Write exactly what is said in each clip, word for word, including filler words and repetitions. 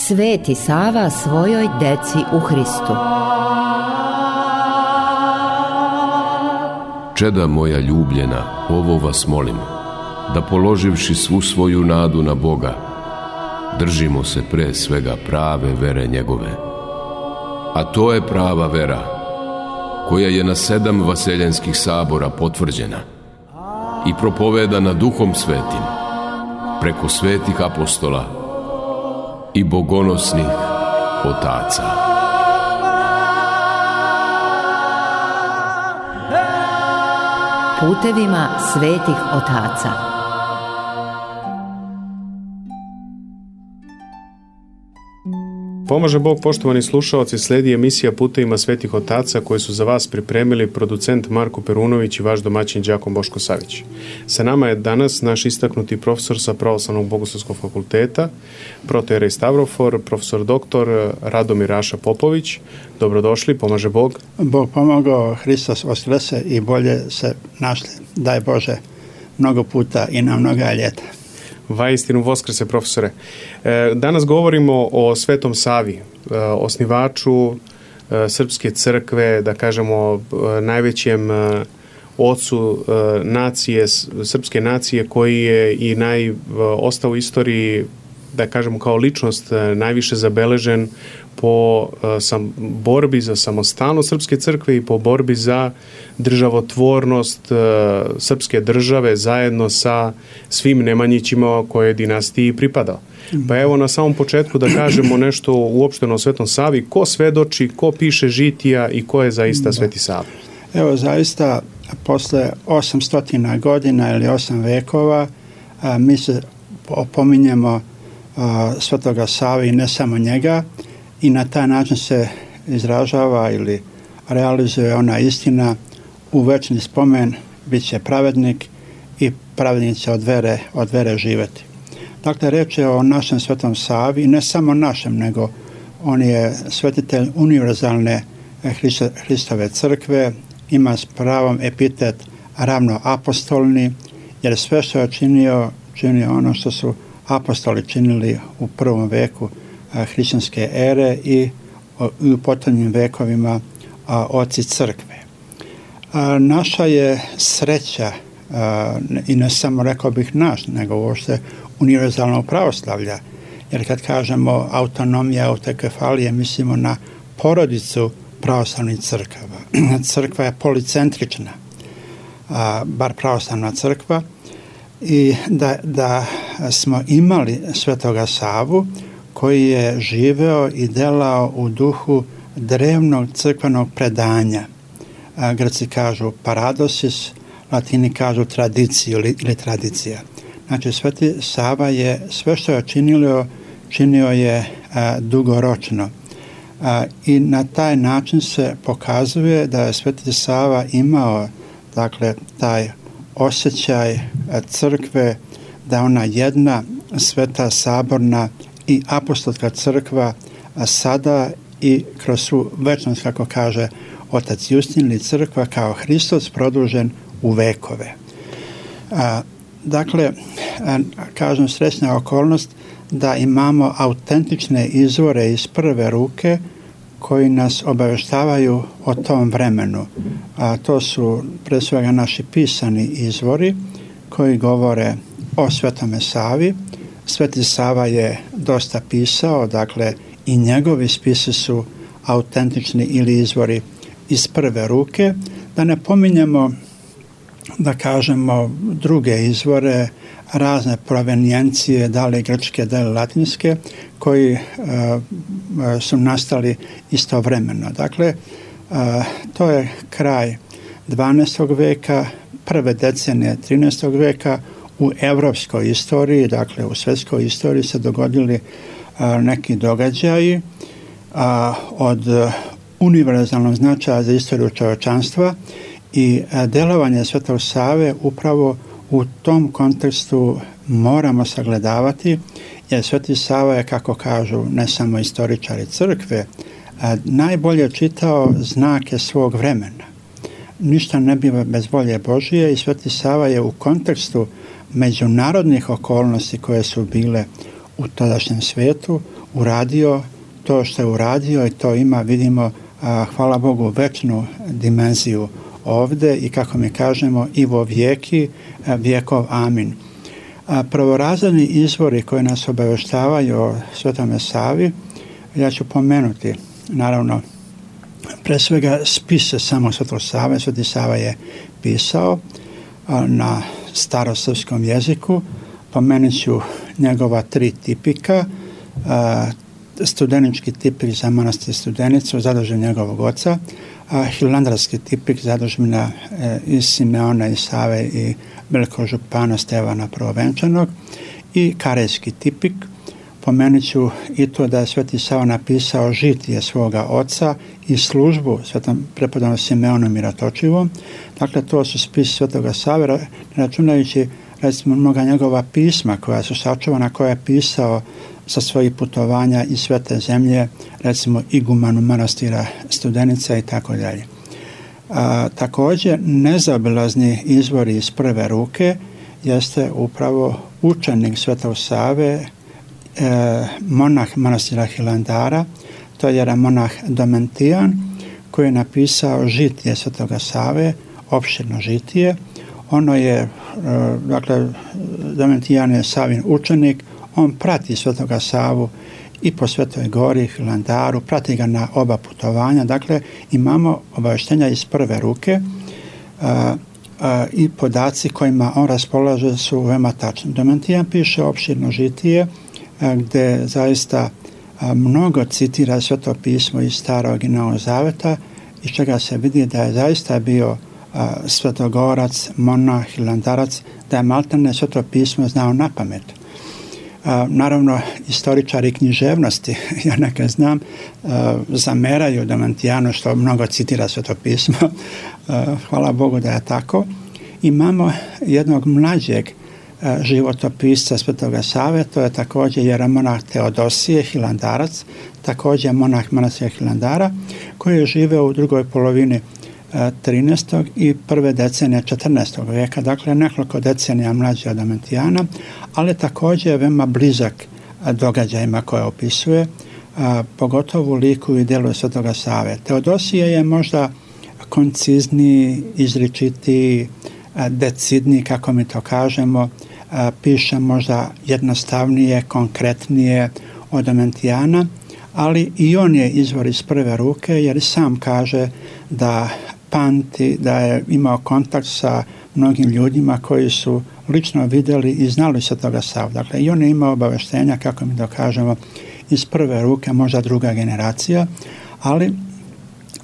Sveti Sava svojoj deci u Hristu. Čeda moja ljubljena, ovo vas molim, da položivši svu svoju nadu na Boga, držimo se pre svega prave vere njegove. A to je prava vera, koja je na sedam vaseljenskih sabora potvrđena i propovedana Duhom Svetim, preko svetih apostola i bogonosnih otaca. Putevima svetih otaca. Pomaže Bog, poštovani slušaoci, sledi emisija Putevima svetih otaca koju su za vas pripremili producent Marko Perunović i vaš domaćin đakon Boško Savić. Sa nama je danas naš istaknuti profesor sa Pravoslavnog bogoslovskog fakulteta, protojerej Stavrofor, profesor doktor Radomir Raša Popović. Dobrodošli, pomaže Bog. Bog pomogao, Hristos vaskrese i bolje se našli, daj Bože, mnogo puta i na mnoga ljeta. Vaistinu voskrese, profesore. Danas govorimo o Svetom Savi, osnivaču Srpske crkve, da kažemo najvećem ocu nacije, srpske nacije, koji je i naj, ostao u istoriji, da kažemo kao ličnost, najviše zabeležen po sam, borbi za samostalnost Srpske crkve i po borbi za državotvornost srpske države zajedno sa svim Nemanjićima koje dinastiji pripadao. Pa evo na samom početku da kažemo nešto uopšteno o Svetom Savi. Ko svedoči, ko piše žitija i ko je zaista Sveti Sava? Evo zaista posle osamsto godina ili osam vekova a, mi se opominjemo a, Svetoga Save i ne samo njega, i na taj način se izražava ili realizuje ona istina: u večni spomen bit će pravednik i pravednik će od vere, od vere živjeti. Dakle, reč je o našem Svetom Savi, i ne samo našem, nego on je svetitelj univerzalne Hristove crkve, ima s pravom epitet ravnoapostolni, jer sve što je činio, činio ono što su apostoli činili u prvom veku hrišćanske ere i u potonjim vekovima a, oci crkve. A, naša je sreća, a, i ne samo rekao bih naš, nego uopšte univerzalnog pravoslavlja, jer kad kažemo autonomija, autokefalije, mislimo na porodicu pravoslavnih crkava. Crkva je policentrična, a, bar pravoslavna crkva, i da, da smo imali Svetoga Savu koji je živeo i delao u duhu drevnog crkvenog predanja. A, Grci kažu paradosis, Latini kažu tradiciju ili, ili tradicija. Znači, Sveti Sava je sve što je činio, činio je a, dugoročno. A, I na taj način se pokazuje da je Sveti Sava imao, dakle, taj osjećaj crkve, da ona jedna sveta saborna i apostolska crkva, a sada i kroz svu večnost, kako kaže otac Justin, ili crkva kao Hristos produžen u vekove. A, dakle, a, kažem, srećna okolnost da imamo autentične izvore iz prve ruke koji nas obaveštavaju o tom vremenu. A to su pre svega naši pisani izvori koji govore o Svetome Savi. Sveti Sava je dosta pisao, dakle i njegovi spisi su autentični ili izvori iz prve ruke. Da ne pominjemo, da kažemo, druge izvore, razne provenijencije, da li grčke, da li latinske, koji uh, su nastali istovremeno. Dakle, uh, to je kraj dvanaestog veka, prve decenije trinaestog veka. U evropskoj istoriji, dakle u svjetskoj istoriji, se dogodili a, neki događaji a, od univerzalnog značaja za istoriju čovječanstva, i a, delovanje Svetog Save upravo u tom kontekstu moramo sagledavati, jer Sveti Sava je, kako kažu ne samo istoričari crkve, a, najbolje čitao znake svog vremena. Ništa ne biva bez volje Božije, i Sveti Sava je u kontekstu međunarodnih okolnosti koje su bile u tadašnjem svijetu, uradio to što je uradio i to ima, vidimo, hvala Bogu, večnu dimenziju ovde i kako mi kažemo i vo vijeki vijekov amin. Prvorazredni izvori koji nas obaveštavaju o Svetome Savi, ja ću pomenuti, naravno, pre svega spise samo Svetog Save. Sveti Sava je pisao na starosrpskom jeziku. Pomenut ću njegova tri tipika. Studenički tipik za manastir Studenicu, zadužen njegovog oca, hilandarski tipik zadužbina iz Simeona i Save i velikog župana Stevana Prvovenčanog i karejski tipik. Pomenut ću i to da je Sveti Sava napisao žitije svoga oca i službu svetom prepodobnom Simeonu Miratočivom. Dakle, to su spisi Svetoga Save, računajući recimo mnoga njegova pisma koja su sačuvana, koja je pisao sa svojih putovanja iz Svete zemlje, recimo igumanu manastira Studenica i tako dalje. Također, nezaobilazni izvori iz prve ruke jeste upravo učenik Svetog Save, e, monah manastira Hilandara, to je jedan monah Domentijan, koji je napisao žitije Svetoga Save, opširno žitije. Ono je, e, dakle, Domentijan je Savin učenik, on prati Svetoga Savu i po Svetoj Gori, Hilandaru, prati ga na oba putovanja. Dakle, imamo obavještenja iz prve ruke a, a, i podaci kojima on raspolaže su veoma tačni. Domentijan piše opširno žitije a, gde zaista a, mnogo citira Sveto pismo iz Starog i Novog Zaveta, iz čega se vidi da je zaista bio a, svetogorac, monah, hilandarac, da je maltene Sveto pismo znao na pamet. A, naravno, istoričari književnosti, ja neka znam, a, zameraju Domentijanu što mnogo citira Sveto pismo. A, hvala Bogu da je tako. Imamo jednog mlađeg a, životopisca Svetoga Save, to je također jeremonah Teodosije, hilandarac, također monah manastira Hilandara, koji je živeo u drugoj polovini trinaestog i prve decenije četrnaestog vijeka, dakle nekoliko decenija mlađi od Domentijana, ali također je veoma blizak događajima koje opisuje, a, pogotovo u liku i djelu Svetoga Save. Teodosije je možda koncizniji, izričitiji, decidniji, kako mi to kažemo, a, piše možda jednostavnije, konkretnije od Domentijana, ali i on je izvor iz prve ruke, jer sam kaže da pamti, da je imao kontakt sa mnogim ljudima koji su lično vidjeli i znali Svetoga Savu. Dakle, i on je imao obaveštenja, kako mi dokažemo, iz prve ruke, možda druga generacija, ali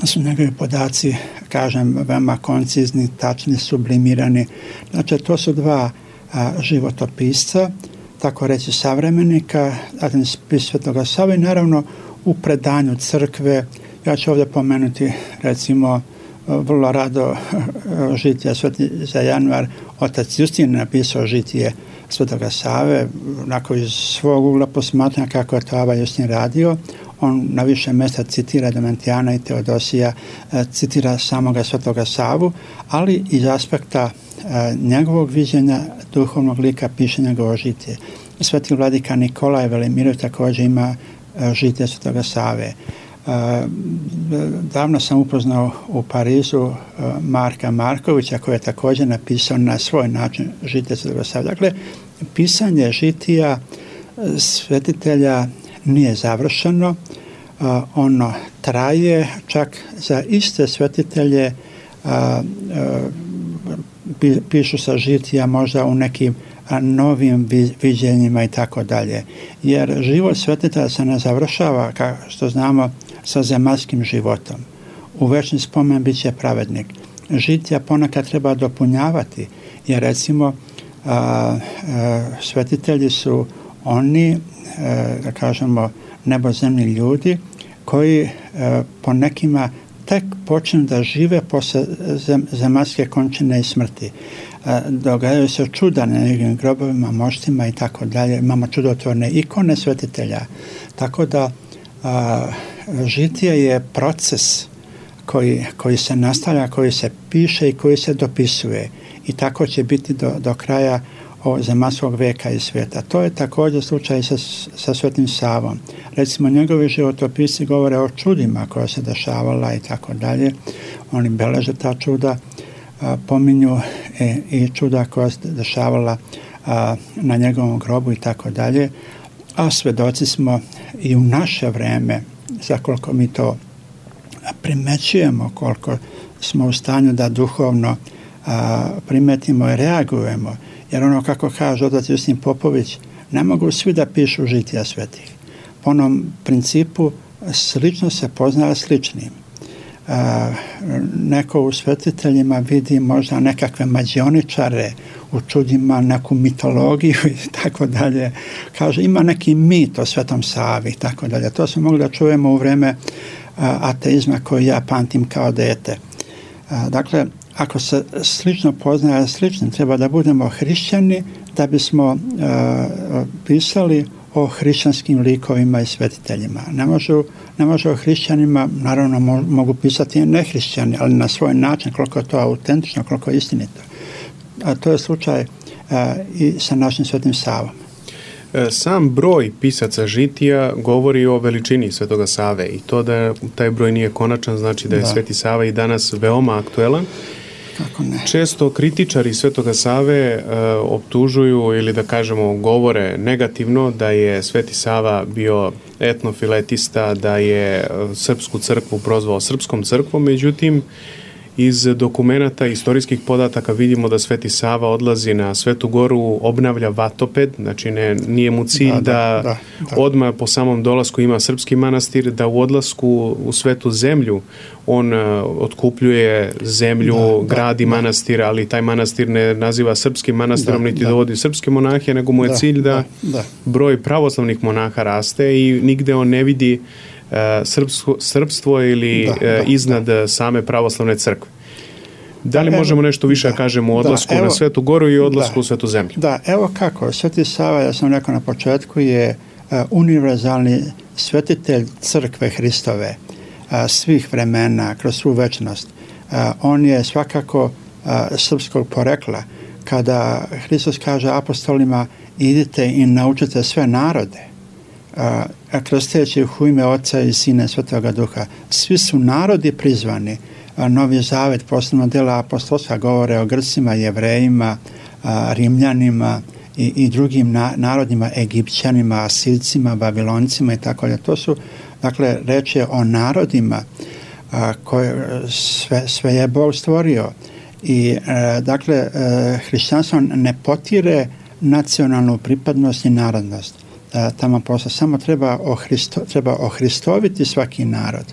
su njegovi podaci, kažem, veoma koncizni, tačni, sublimirani. Znači, to su dva a, životopisca, tako reći savremenika, zatim spis Svetoga Save i naravno u predanju crkve. Ja ću ovdje pomenuti, recimo, vrlo rado žitije Sveti za januar. Otac Justin napisao žitije Svetoga Save, onako iz svog ugla posmatranja kako je to Ava Justin radio. On na više mjesta citira Domentijana i Teodosija, citira samoga Svetoga Savu, ali iz aspekta njegovog viđenja duhovnog lika piše njegovo žitije. Sveti vladika Nikolaj Velimirov također ima žitije Svetoga Save. Davno sam upoznao u Parizu Marka Markovića, koji je također napisao na svoj način žitije Svetoga Save. Dakle, pisanje žitija svetitelja nije završeno, ono traje, čak za iste svetitelje pišu sa žitija možda u nekim novim viđenjima i tako dalje. Jer život svetitelja se ne završava, kao što znamo, sa zemaljskim životom. U večni spomen bit će pravednik. Žitija ponekad treba dopunjavati, jer recimo a, a, svetitelji su oni, a, da kažemo, nebozemni ljudi koji a, po nekima tek počnu da žive posle zem, zemaljske končine i smrti. Događaju se čuda na njegovim grobovima, moštima i tako dalje. Imamo čudotvorne ikone svetitelja. Tako da a, žitije je proces koji, koji se nastavlja, koji se piše i koji se dopisuje. I tako će biti do, do kraja o zemaljskog veka i svijeta. To je također slučaj sa, sa Svetim Savom. Recimo, njegovi životopisi govore o čudima koja se dešavala i tako dalje. Oni beleže ta čuda, a, pominju e, i čuda koja se dešavala a, na njegovom grobu i tako dalje. A svedoci smo i u naše vreme, za koliko mi to primećujemo, koliko smo u stanju da duhovno a, primetimo i reagujemo. Jer ono, kako kaže otac Justin Popović, ne mogu svi da pišu žitija svetih. Po onom principu slično se poznaje sličnim. A, neko u svetiteljima vidi možda nekakve mađioničare, u čudima neku mitologiju i tako dalje. Kaže, ima neki mit o Svetom Savi i tako dalje. To smo mogli da čujemo u vreme a, ateizma koji ja pamtim kao dete. A, dakle, ako se slično poznaje sličnim, treba da budemo hrišćani da bismo a, pisali o hrišćanskim likovima i svetiteljima. Ne može, ne može o hrišćanima, naravno mo, mogu pisati i nehrišćani, ali na svoj način, koliko je to autentično, koliko je istinito. A to je slučaj a, i sa našim Svetim Savom. Sam broj pisaca žitija govori o veličini Svetoga Save i to da taj broj nije konačan, znači da je da. Sveti Sava i danas veoma aktuelan. Kako ne? Često kritičari Svetoga Save e, optužuju ili da kažemo govore negativno da je Sveti Sava bio etnofiletista, da je srpsku crkvu prozvao srpskom crkvom, međutim iz dokumenata, istorijskih podataka vidimo da Sveti Sava odlazi na Svetu Goru, obnavlja vatoped, znači ne, nije mu cilj da, da, da, da, da odmah po samom dolasku ima srpski manastir, da u odlasku u Svetu zemlju on uh, otkupljuje zemlju, da, gradi da, manastir, ali taj manastir ne naziva srpskim manastirom, da, niti da. dovodi srpske monahe, nego mu je da, cilj da, da, da broj pravoslavnih monaha raste i nigde on ne vidi Srpstvo, srpstvo ili da, da, iznad da. same pravoslavne crkve. Da li evo, možemo nešto više da kažemo o odlasku da, evo, na Svetu Goru i odlasku da, u Svetu zemlju? Da, evo kako. Sveti Sava, ja sam rekao na početku, je uh, univerzalni svetitelj crkve Hristove uh, svih vremena, kroz svu večnost. Uh, on je svakako uh, srpskog porekla. Kada Hristos kaže apostolima, idite i naučite sve narode, a, krsteći ih u ime Oca i Sina i Svetoga Duha. Svi su narodi prizvani. A, Novi Zavet, posebno dela apostolska, govore o Grcima, Jevrejima, a, Rimljanima i, i drugim na, narodima, Egipćanima, Asircima, Babiloncima i tako dalje. To su, dakle, reč je o narodima a, koje sve, sve je Bog stvorio. I, a, dakle, a, hrišćanstvo ne potire nacionalnu pripadnost i narodnost. Tamo posle samo treba, ohristo, treba ohristoviti svaki narod.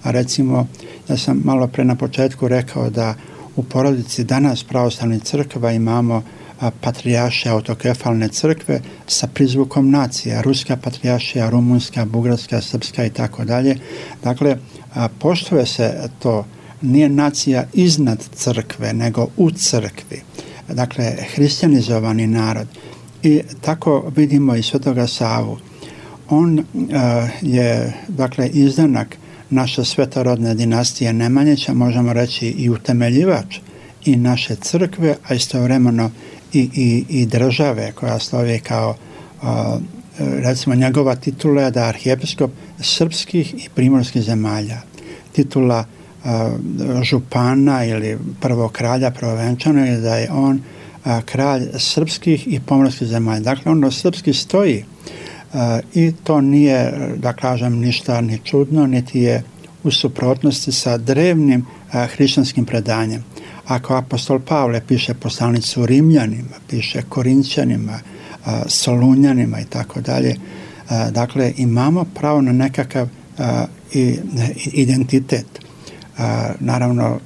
A recimo, ja sam malo pre na početku rekao da u porodici danas pravoslavnih crkva imamo a, patrijaršije autokefalne crkve sa prizvukom nacija, ruska patrijaršija, rumunska, bugarska, srpska i tako dalje. Dakle, a, poštuje se to, nije nacija iznad crkve, nego u crkvi. Dakle, hrišćanizovani narod. I tako vidimo i Svetoga Savu. On uh, je, dakle, izdanak naše svetorodne dinastije Nemanjića, možemo reći i utemeljivač i naše crkve, a istovremeno i, i, i države koja slovi kao, uh, recimo, njegova titula je da arhijepiskop srpskih i primorskih zemalja. Titula uh, župana ili prvog kralja prvovenčana je da je on a, kralj srpskih i pomorskih zemalja. Dakle, ono srpski stoji a, i to nije, da kažem, ništa ni čudno, niti je u suprotnosti sa drevnim a, hrišćanskim predanjem. Ako apostol Pavle piše poslanicu Rimljanima, piše Korinćanima, a, Solunjanima i tako dalje, dakle, imamo pravo na nekakav a, i, identitet. A, naravno,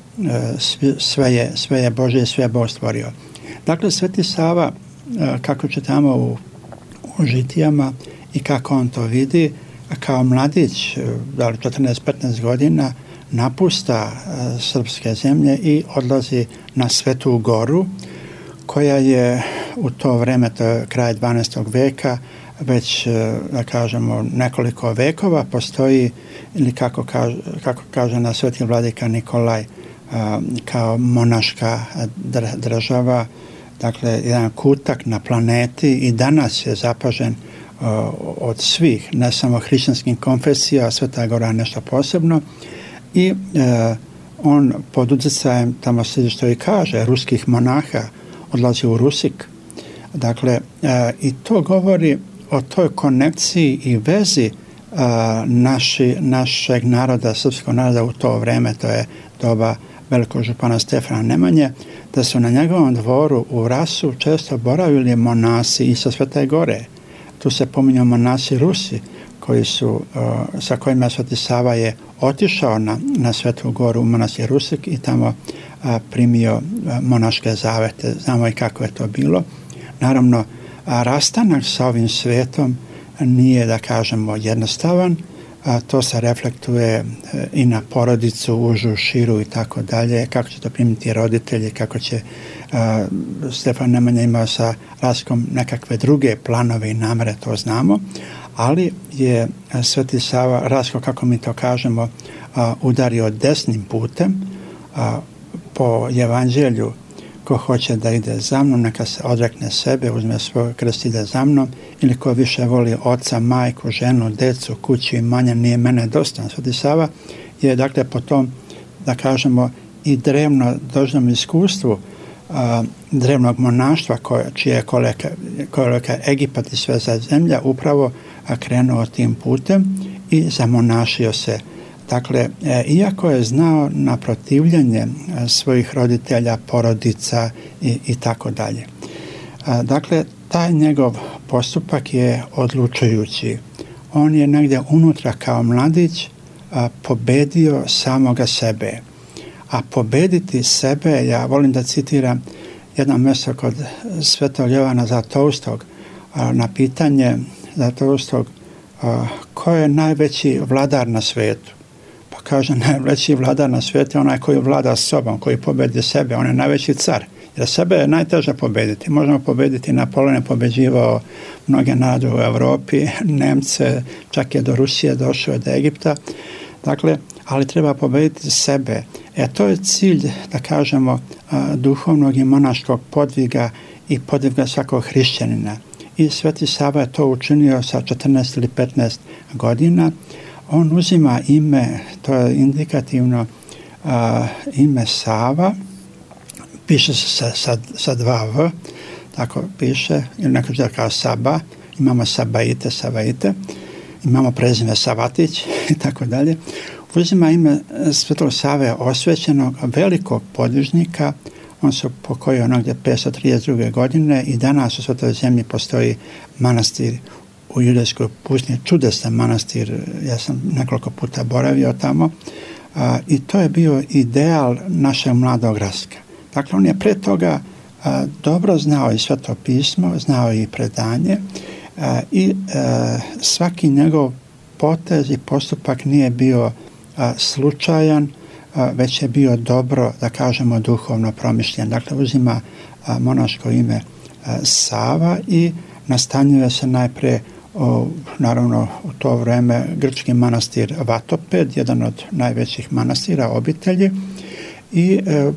sve, sve, je, sve je Božje i sve je Bog stvorio. Dakle, Sveti Sava, kako čitamo u, u žitijama i kako on to vidi, kao mladić, da li četrnaest petnaest godina, napusta srpske zemlje i odlazi na Svetu Goru, koja je u to vreme, to je kraj dvanaestog veka, već, da kažemo, nekoliko vekova postoji, ili kako kaže, kako kaže na Sveti vladika Nikolaj, kao monaška država, dakle jedan kutak na planeti i danas je zapažen uh, od svih, ne samo hrišćanskih konfesija, Sveta Gora je nešto posebno i uh, on pod utjecajem, tamo se što i kaže, ruskih monaha odlazi u Rusik. Dakle, uh, i to govori o toj konekciji i vezi uh, naši, našeg naroda, srpskog naroda u to vreme, to je doba velikog župana Stefana Nemanje, da su na njegovom dvoru u Rasu često boravili monasi i sa Svete Gore. Tu se pominju monasi Rusi, koji su, uh, sa kojima Sveti Sava je otišao na, na Svetu Goru u manastir Rusik i tamo uh, primio uh, monaške zavete. Znamo i kako je to bilo. Naravno, a rastanak sa ovim svetom nije, da kažemo, jednostavan. A to se reflektuje i na porodicu, užu, širu i tako dalje, kako će to primiti roditelji, kako će a, Stefan Nemanja imao sa Raskom nekakve druge planove i namere, to znamo, ali je Sveti Sava Rasko, kako mi to kažemo, a, udario desnim putem a, po evanđelju. Ko hoće da ide za mnom, neka se odrekne sebe, uzme svoj krst i ide za mnom, ili ko više voli oca, majku, ženu, decu, kuću i manje, nije mene dostan. Sveti Sava je, dakle, po tom, da kažemo, i drevno dožnom iskustvu a, drevnog monaštva, koje, čije je koleka, koleka Egipat i sve za zemlja, upravo a, krenuo tim putem i zamonašio se. Dakle, e, iako je znao na protivljenje e, svojih roditelja, porodica i, i tako dalje. E, dakle, taj njegov postupak je odlučujući. On je negdje unutra kao mladić a, pobedio samoga sebe. A pobediti sebe, ja volim da citiram jedno mjesto kod Svetog Jovana Zlatoustog, a, na pitanje Zlatoustog a, ko je najveći vladar na svijetu. Kaže, najveći vladar na svijetu je onaj koji vlada sobom, koji pobedi sebe, on je najveći car. Jer sebe je najteže pobediti. Možemo pobediti, Napoleon je pobeđivao mnoge narode u Europi, Nemce, čak je do Rusije došao, do Egipta. Dakle, ali treba pobediti sebe. E to je cilj, da kažemo, duhovnog i monaškog podviga i podviga svakog hrišćanina. I Sveti Sava je to učinio sa četrnaest ili petnaest godina. On uzima ime, to je indikativno uh, ime Sava, piše se sa, sa, sa dva V, tako piše, ili neko će da kao Saba, imamo Sabaite, Savaite, imamo prezime Savatić i tako dalje. Uzima ime Svetog Save osvećenog velikog podvižnika, on se pokojio negdje petsto trideset druge godine i danas u Svetoj zemlji postoji manastir u Judejskoj pustinji, čudesan manastir, ja sam nekoliko puta boravio tamo a, i to je bio ideal našeg mladog Raska. Dakle, on je pre toga a, dobro znao i Sveto pismo, znao i predanje a, i a, svaki njegov potez i postupak nije bio a, slučajan, a, već je bio dobro, da kažemo, duhovno promišljen. Dakle, uzima a, monaško ime a, Sava i nastanjuje se najpre O, naravno u to vreme grčki manastir Vatoped, jedan od najvećih manastira obitelji i e,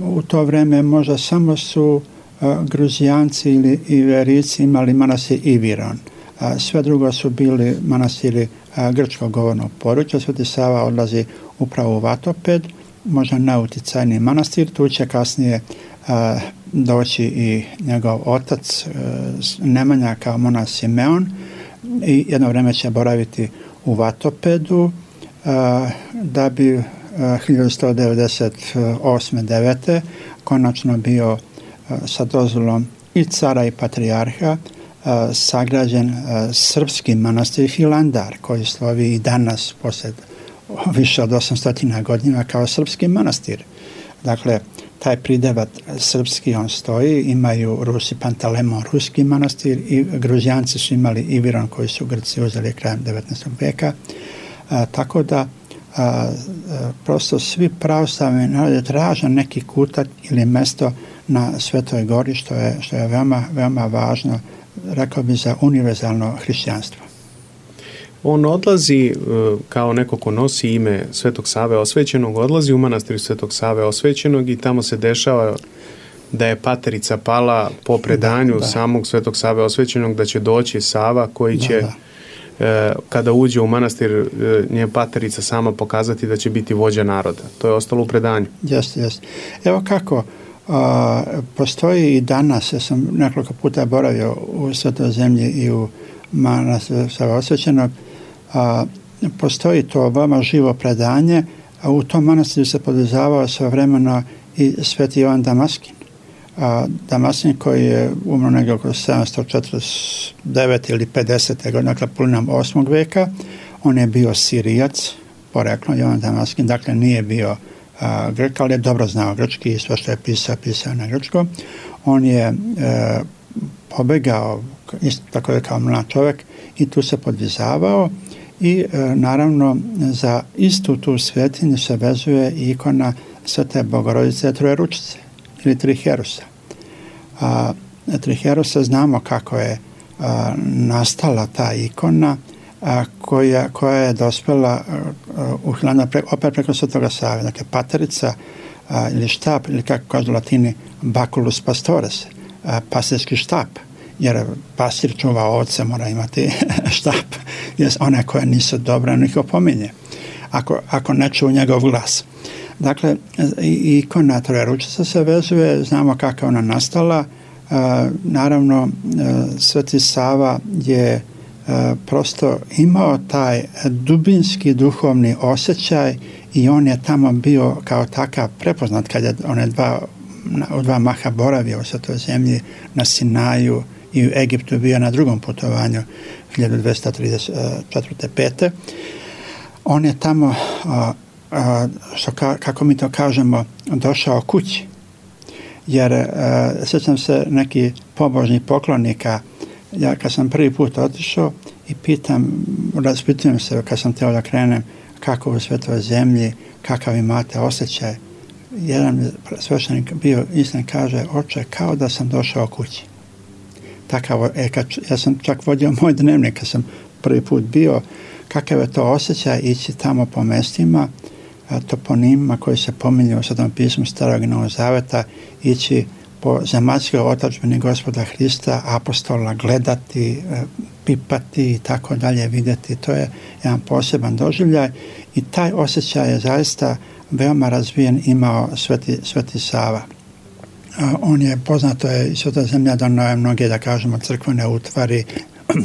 u to vreme možda samo su e, Gruzijanci ili Iverici imali manastir Iviron. A, sve drugo su bili manastiri a, grčkog govornog područja. Sveti Sava odlazi upravo u Vatoped, možda najuticajniji manastir, tu će kasnije a, doći i njegov otac a, Nemanja kao monah Simeon, i jedno vreme će boraviti u Vatopedu a, da bi a, hiljadu sto devedeset osme devete konačno bio a, sa dozvolom i cara i patrijarha a, sagrađen a, srpski manastir Hilandar, koji slovi i danas poslije više od osamsto godina kao srpski manastir. Dakle, taj pridevat srpski on stoji, imaju Rusi Pantalemon, ruski manastir, i Gruzijanci su imali Iviron koji su Grci uzeli krajem devetnaestog vijeka. A, tako da a, a, prosto svi pravoslavni narodi traže neki kutak ili mesto na Svetoj Gori, što je, što je veoma, veoma važno, rekao bi, za univerzalno hrišćanstvo. On odlazi kao neko ko nosi ime Svetog Save Osvećenog, odlazi u manastir Svetog Save Osvećenog i tamo se dešava da je Paterica pala po predanju da, da. samog Svetog Save Osvećenog, da će doći Sava koji će, da, da. E, kada uđe u manastir, e, nje Paterica sama pokazati da će biti vođa naroda. To je ostalo u predanju. Jeste, jeste. Evo kako, a, postoji i danas, ja sam nekoliko puta boravio u Svetoj zemlji i u manastiru Save Osvećenog, a, postoji to veoma živo predanje, a u tom manastiru se podizavao svojevremeno i Sveti Jovan Damaskin. A, Damaskin koji je umro negdje oko sedamsto četrdeset devet ili pedeset godine, dakle polovinom osmog veka. On je bio Sirijac, poreklom Jovan Damaskin, dakle nije bio a, Grk, ali je dobro znao grčki i sve što je pisao, pisao na grčkom. On je e, pobegao, isto tako je kao mlad čovjek, i tu se podvizavao i e, naravno za istu tu svetinju se vezuje ikona Svete Bogorodice Trojeručice ili Triherusa. A, Triherusa znamo kako je a, nastala ta ikona a, koja, koja je dospela a, u Hilandar pre, opet preko Svetoga Save. Dakle, Paterica a, ili štap, ili kako kažu Latini, Baculus Pastores, a, pastirski štap, jer pastir čuva ovce, mora imati štap, jer one koje nisu dobre, on ih opominje, ako, ako ne čuju njegov glas. Dakle, ikona Trojeručica se vezuje, znamo kako je ona nastala. E, naravno, e, Sveti Sava je e, prosto imao taj dubinski duhovni osjećaj i on je tamo bio kao takav prepoznat kad je one dva, u dva maha boravio u Svetoj zemlji na Sinaju i u Egiptu bio na drugom putovanju hiljadu dvesta trideset četvrte pete. On je tamo a, a, što ka, kako mi to kažemo, došao kući. Jer a, sjećam se neki pobožnih poklonika, ja kad sam prvi put otišao i pitam, raspitujem se kad sam teo da krenem, kako u Svetoj zemlji, kakav imate osjećaj. Jedan sveštenik bio istin, kaže, oče, kao da sam došao kući. Takav, e, kad, ja sam čak vodio moj dnevnik kad sam prvi put bio, kakav je to osjećaj ići tamo po mestima, toponimima koji se pominju u Svetom pismu Starog i Novog Zaveta, ići po zemaljskoj otadžbini Gospoda Hrista, apostola, gledati, pipati i tako dalje, vidjeti. To je jedan poseban doživljaj i taj osjećaj je zaista veoma razvijen imao Sveti, Sveti Sava. On je, poznato je, Sveta zemlja donao je mnoge, da kažemo, crkvene utvari,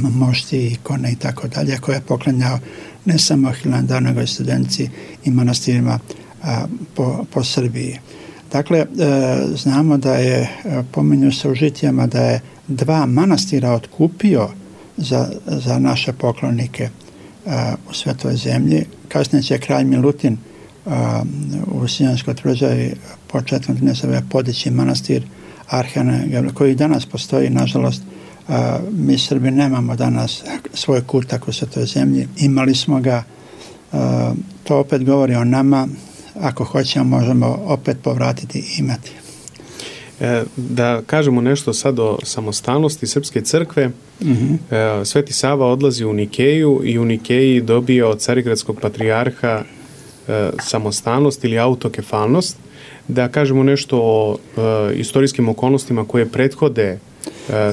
mošti, ikone i tako dalje, koje je poklanjao ne samo Hilandaru, nego i studenci i manastirima a, po, po Srbiji. Dakle, e, znamo da je, pominju se u žitijama, da je dva manastira otkupio za, za naše poklonike a, u Svetoj zemlji. Kasnije će kralj Milutin a, u Sijanskoj tvrđavi početkom trinaestog veka podići manastir Arhana, koji danas postoji, nažalost. Uh, mi Srbi nemamo danas svoj kutak u Svetoj zemlji, imali smo ga, uh, to opet govori o nama, ako hoćemo možemo opet povratiti i imati. E, da kažemo nešto sad o samostalnosti Srpske crkve. Uh-huh. e, Sveti Sava odlazi u Nikeju i u Nikeji dobije od Carigradskog patrijarha e, samostalnost ili autokefalnost. Da kažemo nešto o e, istorijskim okolnostima koje prethode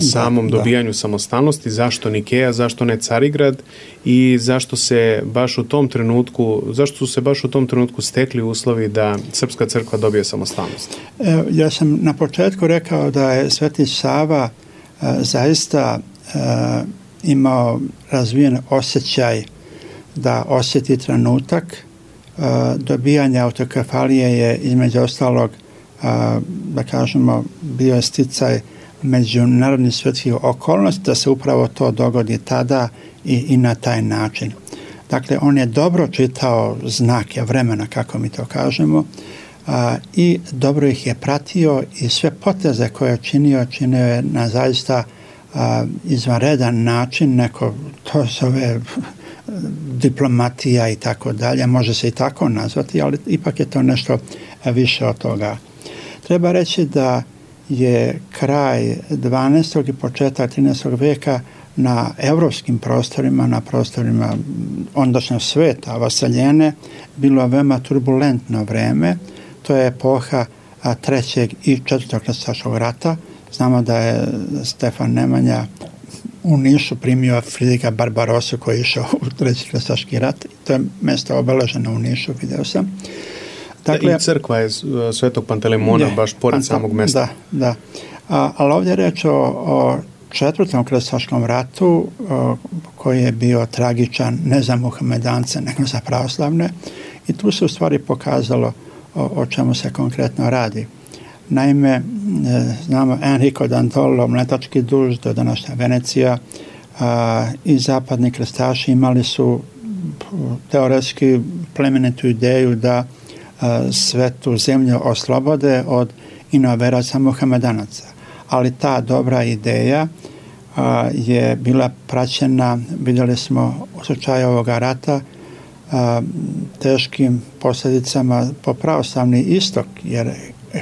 samom da, dobijanju da. samostalnosti, zašto Nikeja, zašto ne Carigrad i zašto se baš u tom trenutku, zašto su se baš u tom trenutku stekli uslovi da Srpska crkva dobije samostalnost? E, ja sam na početku rekao da je Sveti Sava e, zaista e, imao razvijen osjećaj da osjeti trenutak. E, dobijanje autokefalije je između ostalog, e, da kažemo, bio je sticaj međunarodnih svjetskih okolnosti da se upravo to dogodi tada i, i na taj način. Dakle, on je dobro čitao znake vremena, kako mi to kažemo, a, i dobro ih je pratio i sve poteze koje je činio, činio je na zaista a, izvanredan način, neko to zove diplomatija i tako dalje, može se i tako nazvati, ali ipak je to nešto više od toga. Treba reći da je kraj dvanaestog i početak trinaestog veka na evropskim prostorima, na prostorima ondašnjeg sveta, vasaljene, bilo veoma turbulentno vreme. To je epoha a, trećeg i četvrtog krstaškog rata. Znamo da je Stefan Nemanja u Nišu primio Fridrika Barbarosu koji je išao u treći krstaški rat. To je mjesto obeleženo u Nišu, video sam. Dakle, i crkva je Svetog Pantelemona je, baš pored Panta, samog mjesta. Da, da. A, ali ovdje je reč o, o četvrtom krstaškom ratu o, koji je bio tragičan ne za muhamedance nego za pravoslavne i tu se u stvari pokazalo o, o čemu se konkretno radi. Naime, e, znamo Enrico Dandolo, mletački duž do današnja Venecija a, i zapadni krstaši imali su teoretski plemenitu ideju da a, svetu zemlju oslobode od inoveraca muhamedanaca. Ali ta dobra ideja a, je bila praćena, vidjeli smo u slučaju ovoga rata, a, teškim posljedicama po pravoslavni istok, jer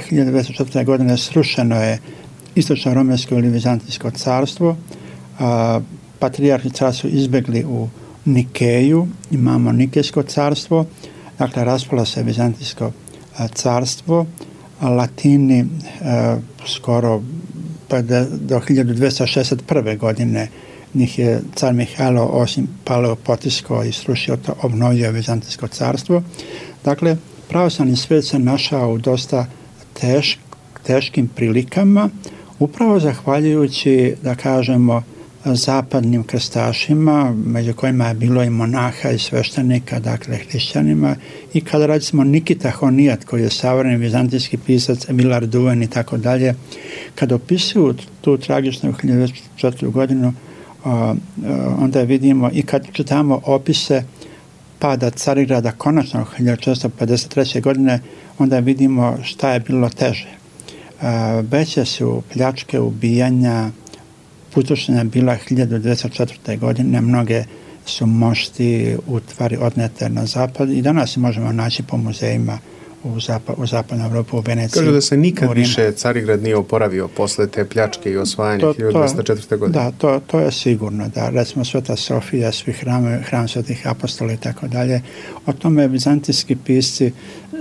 hiljadu devetsto četvrte. godine srušeno je istočno romensko ili vizantijsko carstvo, a, patrijarhi cara su izbjegli u Nikeju, imamo Nikejsko carstvo, dakle raspalo se vizantijsko a, carstvo, a Latini a, skoro pa da, do hiljadu dvjesto šezdeset prve. godine njih je car Mihajlo osim paleo potiskao i srušio to, obnovio vizantijsko carstvo. Dakle, pravoslavni svijet se našao u dosta teš, teškim prilikama, upravo zahvaljujući, da kažemo, zapadnim krstašima, među kojima je bilo i monaha i sveštenika, dakle hrišćanima, i kada recimo Nikita Honijat, koji je savremeni vizantijski pisac, Emil Duven i tako dalje, kada opisuju tu tragičnu hiljadu devetsto četvrtu. godinu, onda vidimo i kad čitamo opise pada Carigrada konačno hiljadu četiristo pedeset treće. godine, onda vidimo šta je bilo teže. Veće su pljačke, ubijanja, pustošenja bila hiljadu devetsto četvrte. godine, mnoge su mošti, utvari odnete na zapad i danas možemo naći po muzejima u, zapad, u zapadnoj Evropi, u Veneciji. Kaže da se nikad više Carigrad nije oporavio posle te pljačke i osvajanja to, hiljadu dvjesto četvrte. godine. Da, to, to je sigurno. Da, recimo Sveta Sofija, svi hrame, hram svetih apostola i tako dalje. O tome vizantijski pisci,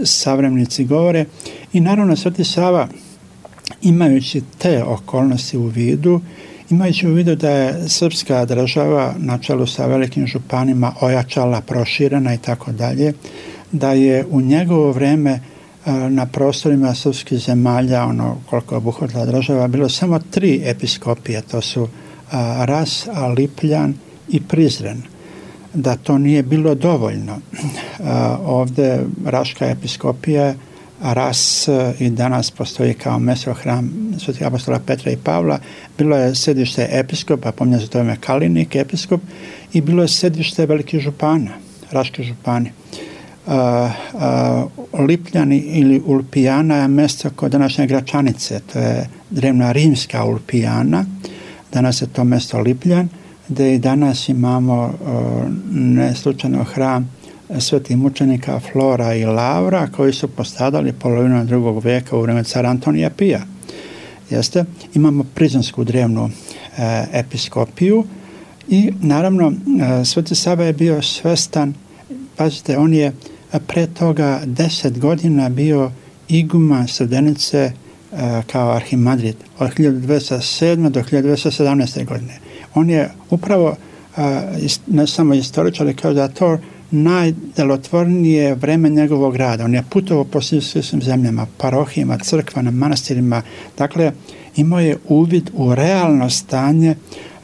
savremenici govore. I naravno Sveti Sava, imajući te okolnosti u vidu, imajući u vidu da je srpska država na čelu sa velikim županima ojačala, proširena i tako dalje, da je u njegovo vrijeme na prostorima srpskih zemalja, ono koliko je obuhvatila država, bilo samo tri episkopije, to su Ras, Lipljan i Prizren. Da to nije bilo dovoljno. Ovdje Raška episkopija, Ras i danas postoji kao mjesto hram svetih apostola Petra i Pavla, bilo je sedište episkopa, pominje se to ime Kalinik episkop, i bilo je sedište velikih župana, Raški župani. Uh, uh, Lipljani ili Ulpijana je mjesto kod današnje Gračanice, to je drevna rimska Ulpijana, danas je to mjesto Lipljan, gdje i danas imamo uh, neslučajno hram svetih mučenika Flora i Lavra, koji su postradali polovinom drugog vijeka u vrijeme cara Antonija Pija. Jeste? Imamo Prizrensku drevnu e, episkopiju i naravno e, Sveti Sava je bio svestan, pazite, on je pre toga deset godina bio iguman Srebrenice e, kao arhimadrid od hiljadu dvjesto sedme. do hiljadu dvjesto sedamnaeste. godine. On je upravo, e, ne samo istoričar, ali kao da to najdelotvornije vreme njegovog rada. On je putovao po svim zemljama, parohijama, crkvama, manastirima. Dakle, imao je uvid u realno stanje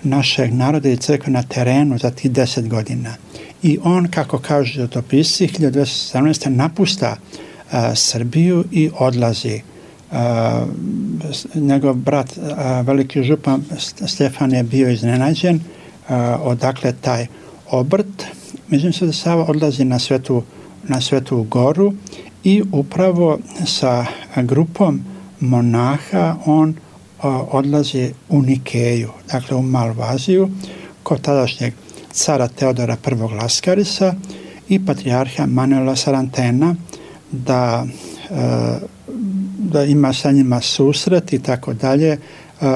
našeg naroda i crkve na terenu za tih deset godina. I on, kako kažu životopisci, hiljadu dvjesto sedamnaeste. napušta uh, Srbiju i odlazi. Uh, njegov brat, uh, veliki župan Stefan, je bio iznenađen uh, odakle taj obrt. Međutim, Sveti Sava odlazi na Svetu, na Svetu Goru i upravo sa grupom monaha on o, odlazi u Nikeju, dakle u Malvaziju, kod tadašnjeg cara Teodora prvog. Laskarisa i patrijarha Manuela Sarantena, da, e, da ima sa njima susret i tako dalje.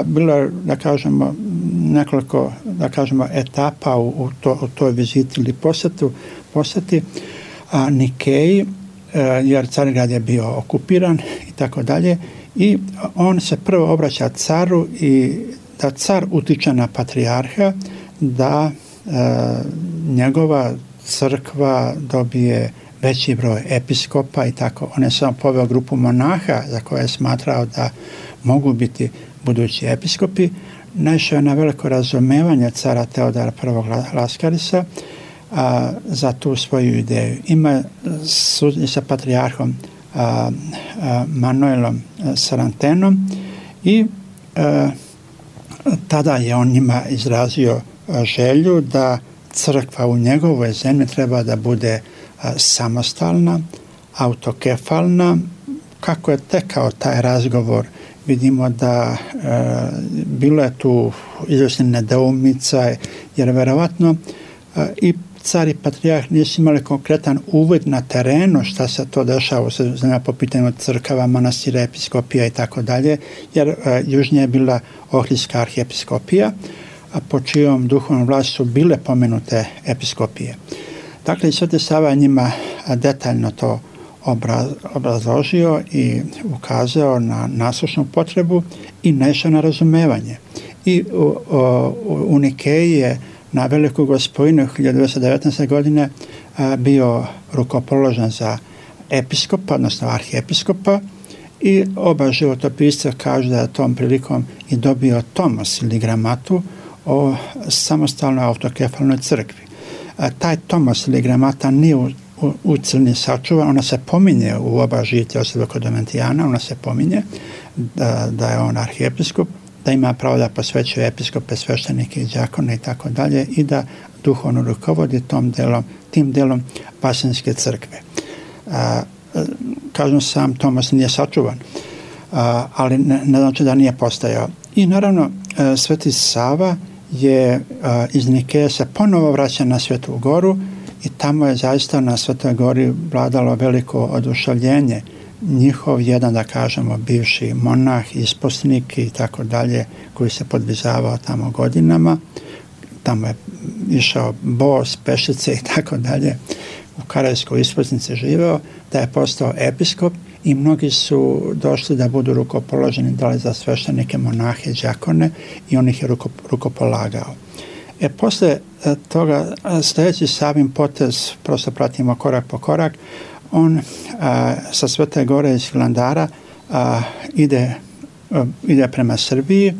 Bilo je, da kažemo, nekoliko, da kažemo, etapa u, u, to, u toj viziti ili posjetu, posjeti a, Nikeji, jer Carigrad je bio okupiran i tako dalje. I on se prvo obraća caru i da car utiče na patrijarha da e, njegova crkva dobije veći broj episkopa i tako. On je samo poveo grupu monaha za koje je smatrao da mogu biti budući episkopi. Naišao je na veliko razumevanje cara Teodora I. Laskarisa a, za tu svoju ideju. Ima suđenje sa patrijarhom a, a, Manuelom Sarantenom i a, tada je on njima izrazio želju da crkva u njegovoj zemlji treba da bude a, samostalna, autokefalna. Kako je tekao taj razgovor, vidimo da e, bilo je tu izvjesna nedoumica, jer verovatno e, i car i patrijarh nisu imali konkretan uvid na terenu šta se to dešava u zemlji po pitanju crkava, manastira, episkopija i tako dalje, jer e, južnije je bila Ohridska arhiepiskopija, a po čijom duhovnom vlasti su bile pomenute episkopije. Dakle, Sveti Sava njima detaljno to obrazložio i ukazao na nasušnu potrebu i naišao na razumevanje. I u, u, u Nikeji je na Veliku Gospojinu hiljadu devetsto devetnaeste. godine a, bio rukopoložen za episkopa, odnosno arhiepiskopa, i oba životopisca kažu da je tom prilikom i dobio tomos ili gramatu o samostalnoj autokefalnoj crkvi. A, taj tomos ili gramata nije u U, u Crni sačuva, ona se pominje u oba žitija Josipa kod Domitijana, ona se pominje da, da je on arhiepiskop, da ima pravo da posvećuje episkope, sveštenike i đakone i tako dalje i da duhovno rukovodi tom delom, tim delom Vaseljenske crkve. A, kažem, sam Tomas nije sačuvan, a, ali ne, ne znači da nije postojao. I naravno, a, Sveti Sava je a, iz Nikeje se ponovo vraća na Svetu Goru i tamo je zaista na Svetoj Gori vladalo veliko oduševljenje. Njihov jedan, da kažemo, bivši monah, isposnik i tako dalje, koji se podvizavao tamo godinama, tamo je išao bos, pešice i tako dalje, u Karajskoj isposnici živeo, da je postao episkop i mnogi su došli da budu rukopoloženi, da li za sveštenike, monahe, đakone, i on ih je ruko, rukopolagao. E, posle toga, sljedeći Savin potez, prosto pratimo korak po korak, on a, sa Svete Gore iz Hilandara a, ide, a, ide prema Srbiji.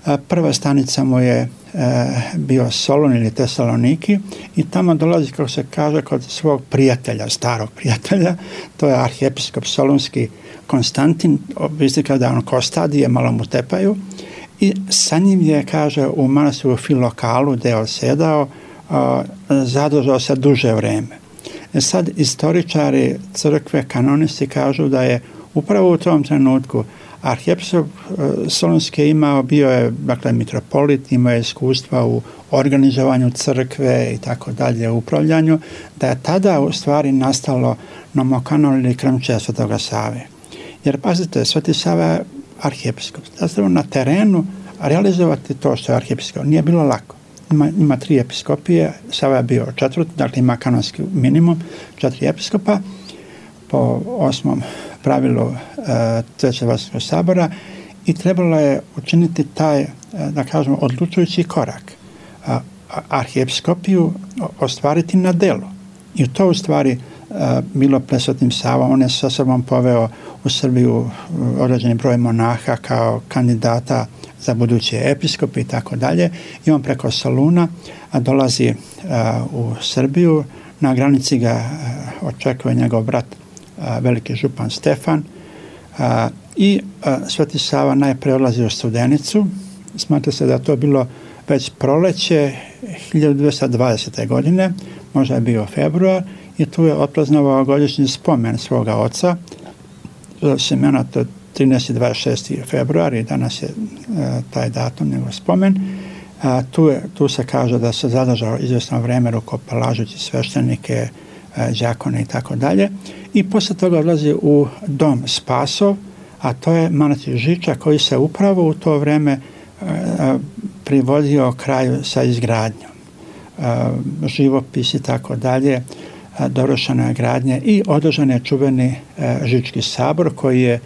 A, prva stanica mu je a, bio Solun ili Tesaloniki i tamo dolazi, kako se kaže, kod svog prijatelja, starog prijatelja, to je arhiepiskop solunski Konstantin, vidite kada on kostadije, malo mu tepaju, i sa njim je, kaže, u manastiru Filokalu, gde je osedao, a, zadržao se duže vreme. E sad, istoričari crkve, kanonisti kažu da je upravo u tom trenutku arhiepiskop solunski imao, bio je, dakle, mitropolit, imao je iskustva u organizovanju crkve i tako dalje, u upravljanju, da je tada u stvari nastalo nomokanon ili krmčija Svetoga Save. Jer, pazite, Sveti Sava je arhiepiskop. Zapravo na terenu realizovati to što je arhiepiskop nije bilo lako. Ima, ima tri episkopije, Sava je bio četvrti, dakle ima kanonski minimum, četiri episkopa po osmom pravilu e, Trećeg Vaseljenskog sabora i trebalo je učiniti taj, e, da kažemo, odlučujući korak. A, a, arhiepiskopiju ostvariti na delu. I to u stvari bilo pred Svetim Savom. On je sa sobom poveo u Srbiju određeni broj monaha kao kandidata za buduće episkope i tako dalje. I on preko Soluna dolazi u Srbiju. Na granici ga očekuje njegov brat, veliki župan Stefan. I Sveti Sava najpre odlazi u Studenicu. Smatra se da to bilo već proleće hiljadu dvesta dvadesete. godine, možda je bio februar, i tu je otpraznovao godišnji spomen svoga oca. Semena, to je trinaesti i dvadeset šesti februar i danas je e, taj datum, njegov spomen. A, tu, je, tu se kaže da se zadržao izvjesno vreme rukopolažući sveštenike, e, đakone i tako dalje. I posle toga odlazi u dom Spasov, a to je manastir Žiča koji se upravo u to vreme e, privodio kraju sa izgradnjom. E, živopis i tako dalje dovršena je gradnja i održan je čuveni Žički sabor koji je,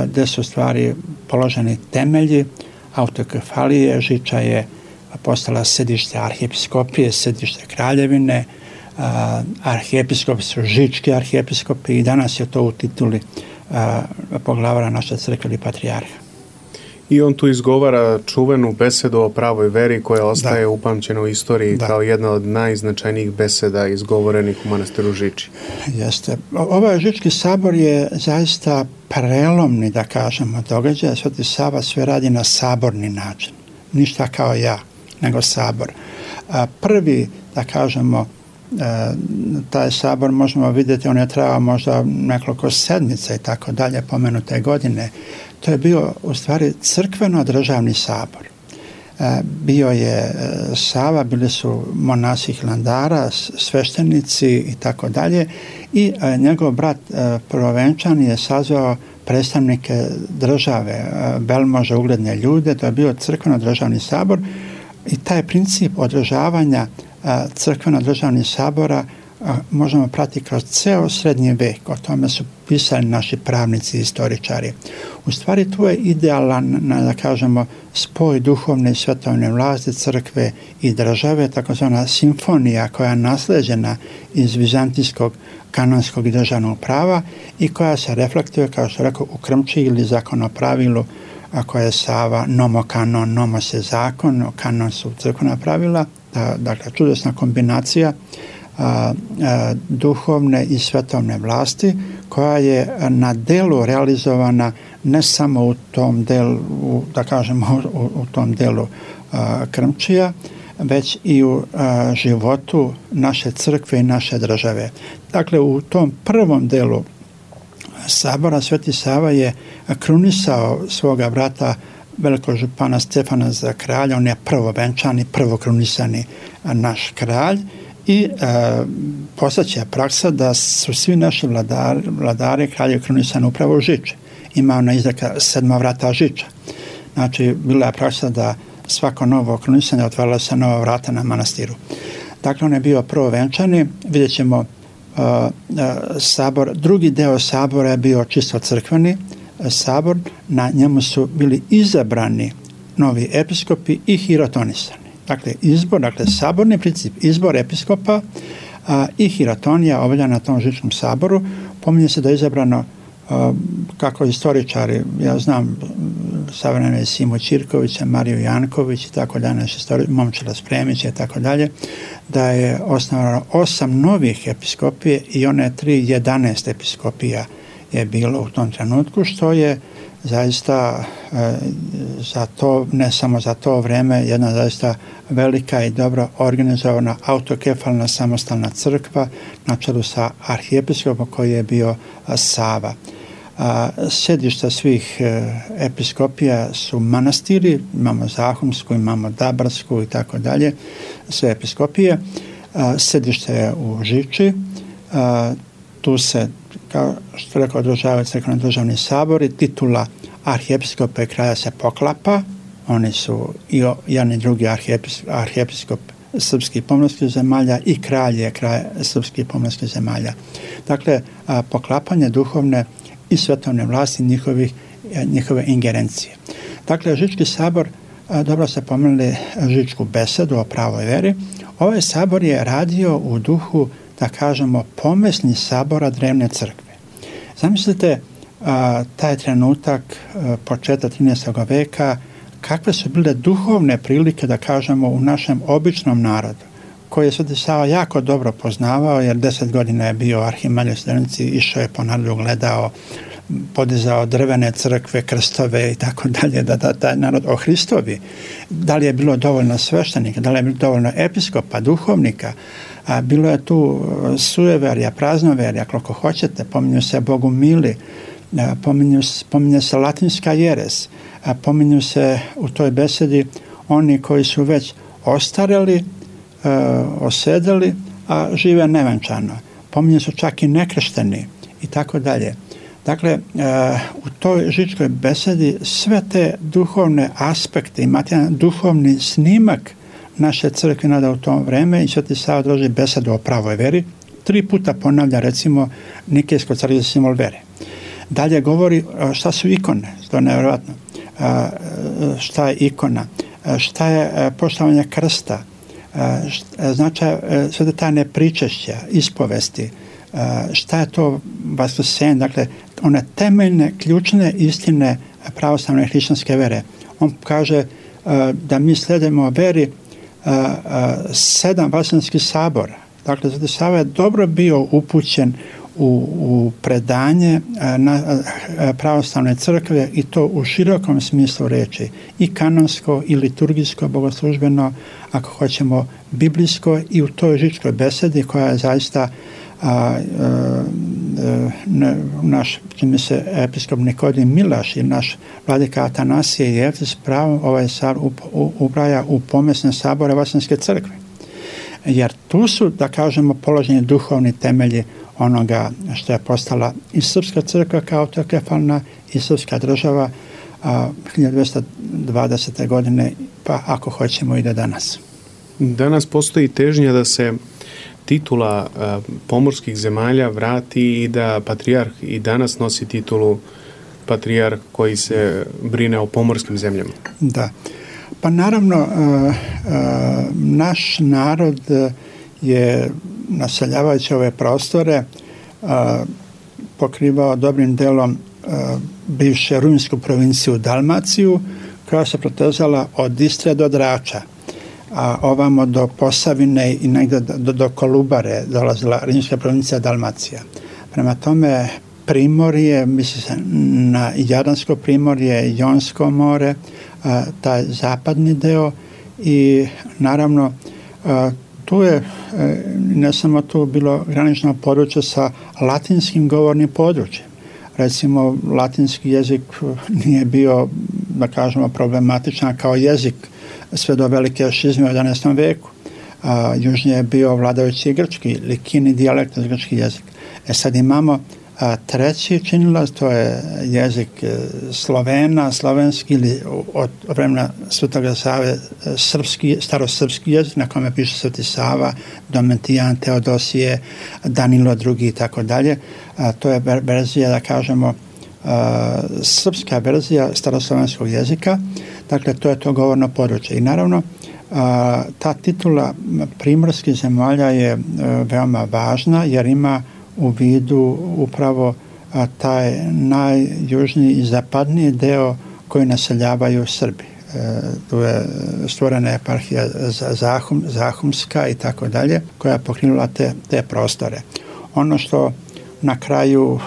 gde su stvari položeni temelji autokefalije. Žiča je postala sedište arhijepiskopije, sedište kraljevine, arhijepiskopi su žički arhijepiskopi i danas je to u tituli poglavara naše crkve ili patrijarha. I on tu izgovara čuvenu besedu o pravoj veri koja ostaje da. upamćena u istoriji da. kao jedna od najznačajnijih beseda izgovorenih u manastiru Žiči. Jeste. Ovaj Žički sabor je zaista prelomni, da kažemo, događaj. Sveti Sava sve radi na saborni način. Ništa kao ja, nego sabor. Prvi, da kažemo, taj sabor možemo vidjeti, on je trajao možda nekoliko sedmica i tako dalje, pomenute godine. To je bio u stvari crkveno-državni sabor. Bio je Sava, bili su monasi Hilandara, sveštenici i tako dalje i njegov brat prvovenčan je sazvao predstavnike države, velmože, ugledne ljude. To je bio crkveno-državni sabor i taj princip održavanja crkveno-državnih sabora možemo pratiti kroz ceo srednji vek. O tome su pisali naši pravnici i istoričari. U stvari tu je idealan, da kažemo, spoj duhovne i svetovne vlasti crkve i države, takozvana simfonija koja je nasleđena iz vizantijskog kanonskog i državnog prava i koja se reflektuje, kao što rekao, u krmči ili zakonopravilu koje je Sava nomokanon, nomos je zakon, kanon su crkvena pravila. Dakle, čudesna kombinacija a, a, duhovne i svetovne vlasti koja je na delu realizovana ne samo u tom delu, da kažemo u, u tom delu a, Krmčija, već i u a, životu naše crkve i naše države. Dakle, u tom prvom delu sabora Sveti Sava je krunisao svoga brata velikog župana Stefana za kralja. On je prvovenčani, prvokrunisani naš kralj i e, postaće praksa da su svi naši vladari, vladari kralje krunisani upravo u Žiči. Ima ona izreka sedma vrata Žiča. Znači, bila je praksa da svako novo krunisanje otvarala se nova vrata na manastiru. Dakle, on je bio prvovenčani. Vidjet ćemo uh, uh, sabor. Drugi deo sabora je bio čisto crkveni sabor, na njemu su bili izabrani novi episkopi i hirotonisani. Dakle, izbor, dakle, saborni princip, izbor episkopa a, i hirotonija obavlja na tom Žičkom saboru. Pominje se da je izabrano, a, kako istoričari, ja znam, savremene Simo Ćirkovića, Mariju Janković i tako dalje, Momčila Spremića i tako dalje, da je osnovano osam novih episkopije i one tri, jedanaest episkopija je bilo u tom trenutku, što je zaista e, za to, ne samo za to vreme, jedna zaista velika i dobro organizovana autokefalna samostalna crkva na čelu sa arhijepiskopom koji je bio a, Sava. A, sjedišta svih e, episkopija su manastiri, imamo Zahumsku, imamo Dabarsku i tako dalje, sve episkopije. A, sjedište je u Žiči, a, tu se, kao što rekao, održavaju crkveno državni sabori, titula arhijepiskopa i kralja se poklapa, oni su i jedan i drugi arhijepiskop, arhijepiskop srpskih pomorskih zemalja i kralj je kralj srpskih pomorskih zemalja. Dakle, a, poklapanje duhovne i svetovne vlasti njihovih, njihove ingerencije. Dakle, Žički sabor, a, dobro ste pomenuli Žičku besedu o pravoj veri, ovaj sabor je radio u duhu, da kažemo, pomesni sabora drevne crkve. Zamislite a, taj trenutak, a, početak trinaestog veka, kakve su bile duhovne prilike, da kažemo, u našem običnom narodu, koji je Sveti Sava jako dobro poznavao, jer deset godina je bio arhimalj u Studenici, išao je po narodu, gledao, podizao drvene crkve, krstove i tako dalje, da, da taj narod ohristovi. Da li je bilo dovoljno sveštenika, da li je bilo dovoljno episkopa, duhovnika, a bilo je tu sujeverja, praznoverja, koliko hoćete, pominju se bogumili, pominju, pominje se latinska jeres, pominju se u toj besedi oni koji su već ostareli, osedeli, a žive nevenčano. Pominju su čak i nekršteni i tako dalje. Dakle, u toj Žičkoj besedi sve te duhovne aspekte, imate jedan duhovni snimak naše crkve nada u tom vreme i Sveti Sava drži besedu o pravoj veri, tri puta ponavlja recimo Nikejsko carstvo simbol vere. Dalje govori šta su ikone, to je nevjerojatno. Šta je ikona, šta je poštovanje krsta, značaj sve tajne pričešća, ispovesti, šta je to vaskrsenje, dakle one temeljne, ključne istine pravoslavne hrišćanske vere. On kaže da mi slijedimo veri sedam vaseljenskih sabora. Dakle, Sveti Sava je dobro bio upućen u, u predanje na pravoslavne crkve i to u širokom smislu reči. I kanonsko, i liturgijsko, bogoslužbeno, ako hoćemo, biblijsko i u toj žičkoj besedi koja je zaista a, a, a, naš, čini se, episkop Nikodin Milaš i naš vladika Atanasije i Evtis pravom ovaj sar ubraja u pomesne sabore Vaseljenske crkve. Jer tu su, da kažemo, položeni duhovni temelji onoga što je postala i srpska crkva kao autokefalna i srpska država a, hiljadu dvesta dvadesete godine, pa ako hoćemo i do danas. Danas postoji težnja da se titula a, pomorskih zemalja vrati i da patrijarh i danas nosi titulu patrijarh koji se brine o pomorskim zemljama. Da. Pa naravno, uh, uh, naš narod je, naseljavajući ove prostore, uh, pokrivao dobrim delom uh, bivše rumunjsku provinciju Dalmaciju, koja se protezala od Istre do Drača, a ovamo do Posavine i negdje do, do Kolubare dolazila rimska provincija Dalmacija. Prema tome, primorje, misli se na Jadransko primorje, Jonsko more, a, taj zapadni deo i naravno a, tu je ne samo tu bilo granično područje sa latinskim govornim područjem. Recimo, latinski jezik nije bio, da kažemo, problematičan kao jezik sve do velike šizme u jedanaestom veku. A, južnije je bio vladajući grčki, likini dijalekt, grčki jezik. E sad imamo a, treći činilac, to je jezik Slovena, slovenski ili od vremena Svetoga Save srpski, starosrpski jezik na kome piše Sveti Sava, Domitijan, Teodosije, Danilo drugi i tako dalje. To je verzija, da kažemo, a, srpska verzija staroslovenskog jezika. Dakle, to je to govorno područje. I naravno, a, ta titula primorskih zemalja je a, veoma važna jer ima u vidu upravo a, taj najjužniji i zapadniji deo koji naseljavaju Srbi. E, tu je stvorena eparhija Zahum, Zahumska i tako dalje, koja je pokrenula te, te prostore. Ono što na kraju,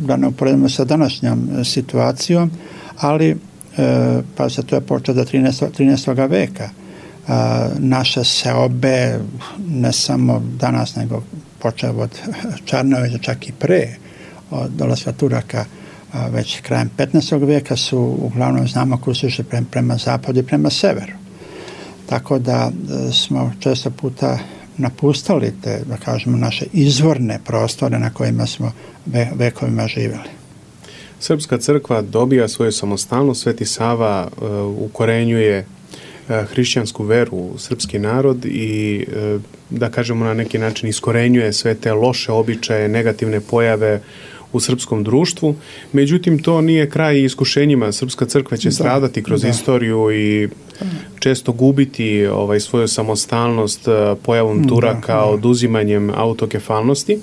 da ne uporedimo sa današnjom situacijom, ali e, pa se to je počeo do trinaestog veka. E, naše seobe, ne samo danas, nego počeo od Čarnovića, čak i pre, od dolaska Turaka, a, već krajem petnaestog veka su uglavnom znamo koji su išli prema, prema zapadu i prema severu. Tako da e, smo često puta napustali te, da kažemo, naše izvorne prostore na kojima smo ve, vekovima živjeli. Srpska crkva dobija svoju samostalnost, Sveti Sava uh, ukorenjuje uh, hrišćansku veru u srpski narod i uh, da kažemo na neki način iskorenjuje sve te loše običaje, negativne pojave u srpskom društvu. Međutim, to nije kraj iskušenjima. Srpska crkva će da, stradati kroz da. istoriju i često gubiti ovaj, svoju samostalnost pojavom Turaka, da, da. oduzimanjem autokefalnosti.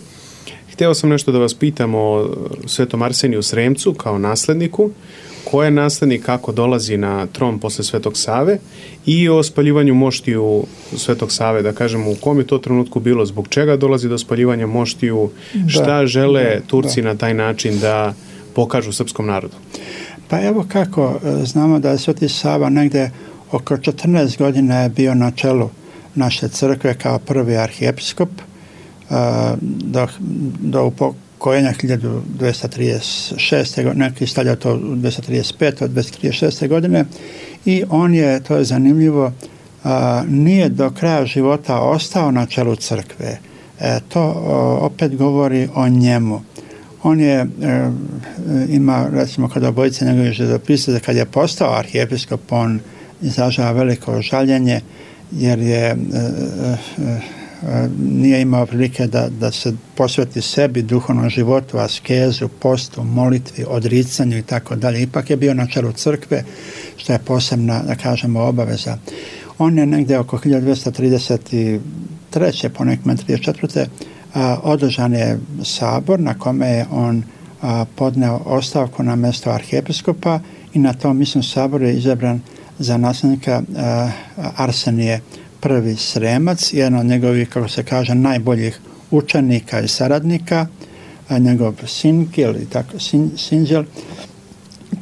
Hteo sam nešto da vas pitam o Svetom Arseniju Sremcu kao nasledniku. Ko je naslednik, kako dolazi na tron posle Svetog Save i o spaljivanju moštiju Svetog Save, da kažemo u kom je to trenutku bilo, zbog čega dolazi do spaljivanja moštiju, da, šta žele da, Turci da. na taj način da pokažu srpskom narodu? Pa evo kako, znamo da je Sveti Sava negde oko četrnaest godina je bio na čelu naše crkve kao prvi arhijepiskop, do, do upokojenja hiljadu dvesta trideset šeste godine, neki stavlja to u dvesta trideset pete od dvesta trideset šeste godine i on je, to je zanimljivo, a, nije do kraja života ostao na čelu crkve. E, to o, opet govori o njemu. On je, e, ima, recimo, kod obojice njegovih životopisa, kad je postao arhijepiskop, on izražava veliko žaljenje jer je e, e, nije imao prilike da, da se posveti sebi, duhovnom životu, askezu, postu, molitvi, odricanju i tako dalje. Ipak je bio na čelu crkve, što je posebna, da kažemo, obaveza. On je negdje oko hiljadu dvjesto trideset treće po nekome trideset četvrte održan je sabor na kome je on a, podneo ostavku na mjesto arhiepiskopa i na tom mislim saboru je izabran za nasljednika a, Arsenije prvi Sremac, jedan od njegovih, kako se kaže, najboljih učenika i saradnika, a, njegov Sinđel i tako sin, Sinđel,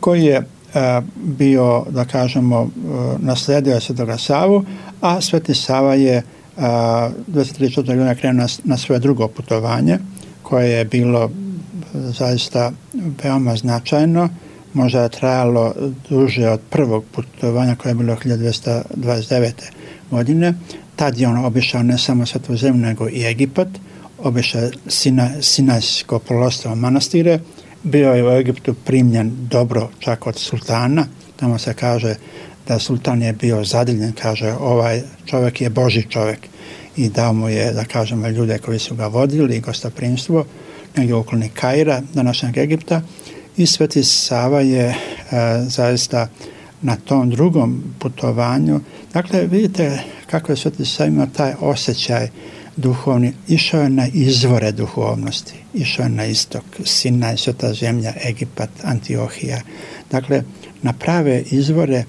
koji je a, bio, da kažemo, a, naslijedio je Svetoga Savu, a Sveti Sava je dvjesto trideset četvrte godine krenuo na, na svoje drugo putovanje, koje je bilo zaista veoma značajno, možda je trajalo duže od prvog putovanja koje je bilo hiljadu dvjesto dvadeset devete godine. Tad je on obišao ne samo Svetu zemlju, nego i Egipat, obišao Sina, Sinajsko poluostrvo manastire, bio je u Egiptu primljen dobro čak od sultana, tamo se kaže da sultan je bio zadivljen, kaže ovaj čovjek je Božji čovjek i dao mu je, da kažemo, ljude koji su ga vodili i gostoprimstvo negdje u okolini Kaira, današnjeg Egipta, i Sveti Sava je e, zaista na tom drugom putovanju, dakle vidite kako je Sveti Sava imao taj osjećaj duhovni, išao je na izvore duhovnosti, išao je na istok, Sinaj, Sveta zemlja, Egipat, Antiohija, dakle na prave izvore,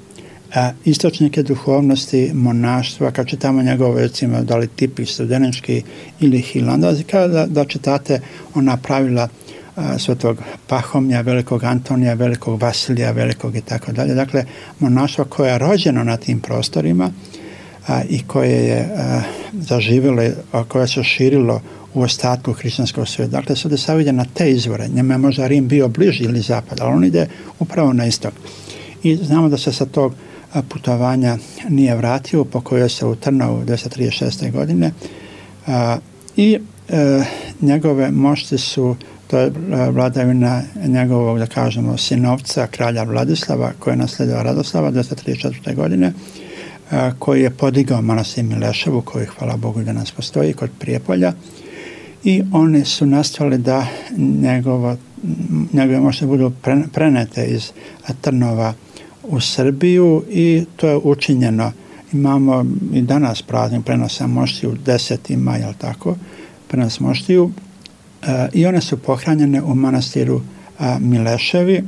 a istočnike duhovnosti, monaštva, kad čitamo njegove, recimo, da li tipik studenički ili Hilandazi, kada da čitate ona pravila a, Svetog Pahomija, velikog Antonija, velikog Vasilija, velikog i tako dalje. Dakle, monaštvo koje je rođeno na tim prostorima a, i koje je a, zaživjelo, a koje se širilo u ostatku hrišćanskog svijeta. Dakle, Sveti Sava ide na te izvore. Njemu je možda Rim bio bliži ili zapad, ali on ide upravo na istok. I znamo da se sa tog putovanja nije vratio, pokojio se u Trnovu dvjesto trideset šeste godine a, i e, njegove mošti su, to je vladavina njegovog, da kažemo, sinovca, kralja Vladislava, koji je naslijedio Radoslava dvjesto trideset četvrte godine, a, koji je podigao manastir Mileševu, koji, hvala Bogu, danas postoji kod Prijepolja, i oni su nastavili da njegovo, njegove mošti budu prenete iz Trnova u Srbiju i to je učinjeno. Imamo i danas praznik prenosa moštiju, deseti maj, jel tako, prenos moštiju, e, i one su pohranjene u manastiru a, Mileševi e,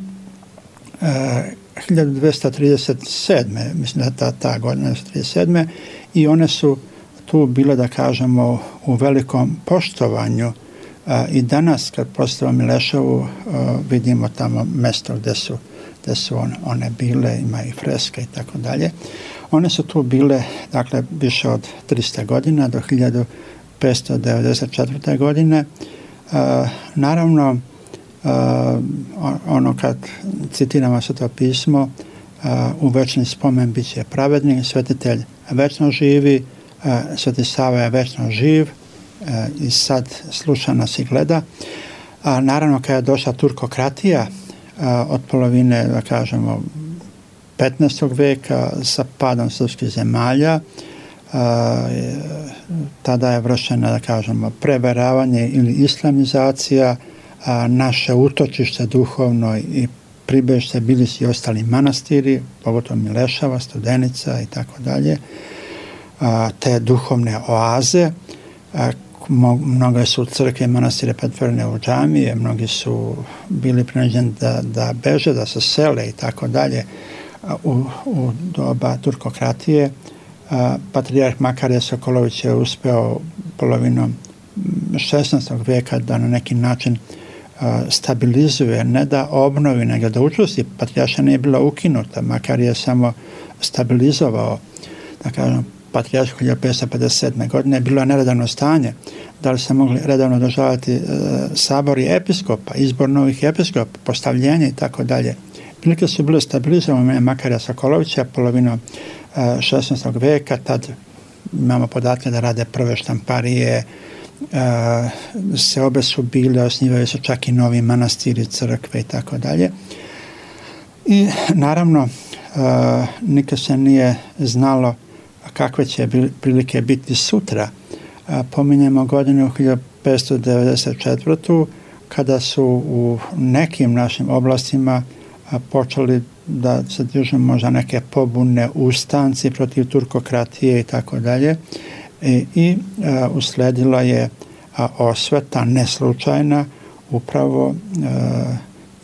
hiljadu dvjesto trideset sedme, mislim da ta, ta godina dvjesto trideset sedme, i one su tu bile, da kažemo, u velikom poštovanju. A, i danas kad postavimo Mileševu a, vidimo tamo mjesto gdje su gdje su one, one bile, ima i freske i tako dalje. One su tu bile, dakle, više od tristo godina do hiljadu petsto devedeset četvrte godine. Uh, naravno, uh, ono kad citiramo Sveto pismo, uh, u večni spomen bit će pravednik, svetitelj večno živi, uh, Sveti Sava je večno živ uh, i sad sluša nas i gleda. A naravno, kada je došla turkokratija, od polovine, da kažemo, petnaestog veka sa padom srpskih zemalja, tada je vršena, da kažemo, preveravanje ili islamizacija, naše utočište duhovno i pribežište bili su i ostali manastiri, pogotovo Milešava, Studenica i tako dalje, te duhovne oaze. Mnoge su crkve i manastire pretvorene u džamije, mnogi su bili prinuđeni da, da beže, da se sele i tako dalje. U, u doba turkokratije patrijarh Makarije Sokolović je uspeo polovinom šesnaestog veka da na neki način stabilizuje, ne da obnovi, nego da učvrsti. Patrijarša nije bila ukinuta, Makarije je samo stabilizovao, da kažem, patrijaršku hiljadu petsto pedeset sedme godine je bilo neredavno stanje. Da li se mogli redavno održavati e, sabori episkopa, izbor novih episkopa, postavljenje i tako dalje. Prilike su bile stabilizovane Makarija Sokolovića polovinom e, šesnaestog veka, tad imamo podatke da rade prve štamparije, e, seobe su bile, osnivaju se čak i novi manastiri, crkve i tako dalje. I naravno, e, nikad se nije znalo kakve će prilike biti sutra, pominjemo godinu hiljadu petsto devedeset četvrtu kada su u nekim našim oblastima počeli da se dižu možda neke pobune, ustanci protiv turkokratije i tako dalje. I usledila je osveta neslučajna upravo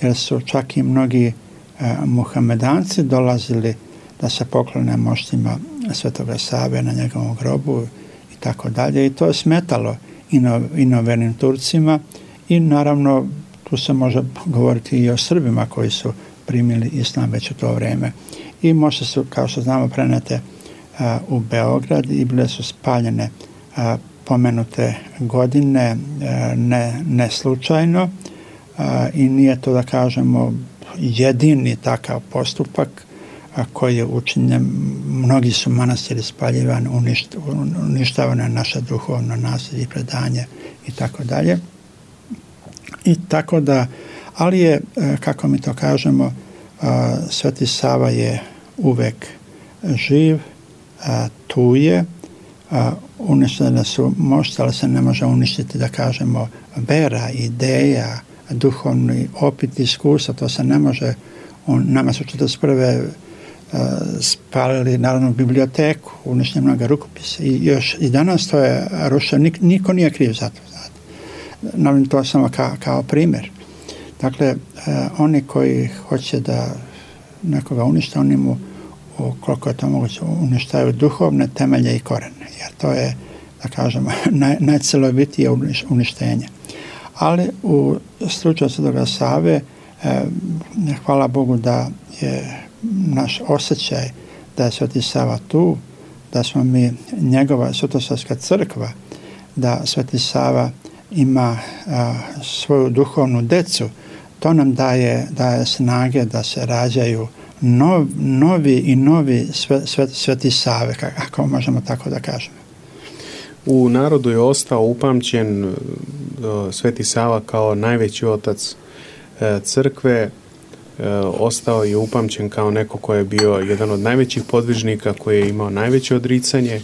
jer su čak i mnogi muhamedanci dolazili da se poklone moštima Svetoga Save na njegovom grobu i tako dalje. I to je smetalo inovernim Turcima i naravno tu se može govoriti i o Srbima koji su primili islam već u to vrijeme. I možda su, kao što znamo, prenete a, u Beograd i bile su spaljene a, pomenute godine a, ne, ne slučajno a, i nije to, da kažemo, jedini takav postupak a, koji je učinjen. Mnogi su manastiri spaljivani, uništ, uništavano je naše duhovno nasljeđe i predanje i tako dalje. I tako da, ali je, kako mi to kažemo, Sveti Sava je uvek živ, tu je, uništene su mošti, ali se ne može uništiti, da kažemo, vera, ideja, duhovni opit, iskustva, to se ne može. On, nama su četrdeset prve spalili Narodnu biblioteku, uništili mnoga rukopise i još i danas to je rušeno, Nik, niko nije kriv za to. Naravno, to samo kao, kao primjer. Dakle, eh, oni koji hoće da nekoga unište, oni mu, koliko je to moguće, uništaju duhovne temelje i korene. Jer to je, da kažemo, naj, najcelovitije uništenje. Ali u slučaju Svetoga Save, eh, hvala Bogu da je naš osjećaj da je Sveti Sava tu, da smo mi njegova Svetosavska crkva, da Sveti Sava ima a, svoju duhovnu decu, to nam daje, daje snage da se rađaju nov, novi i novi sve, sve, Sveti Save, ako možemo tako da kažemo. U narodu je ostao upamćen uh, Sveti Sava kao najveći otac uh, crkve, uh, ostao je upamćen kao neko ko je bio jedan od najvećih podvižnika, koji je imao najveće odricanje.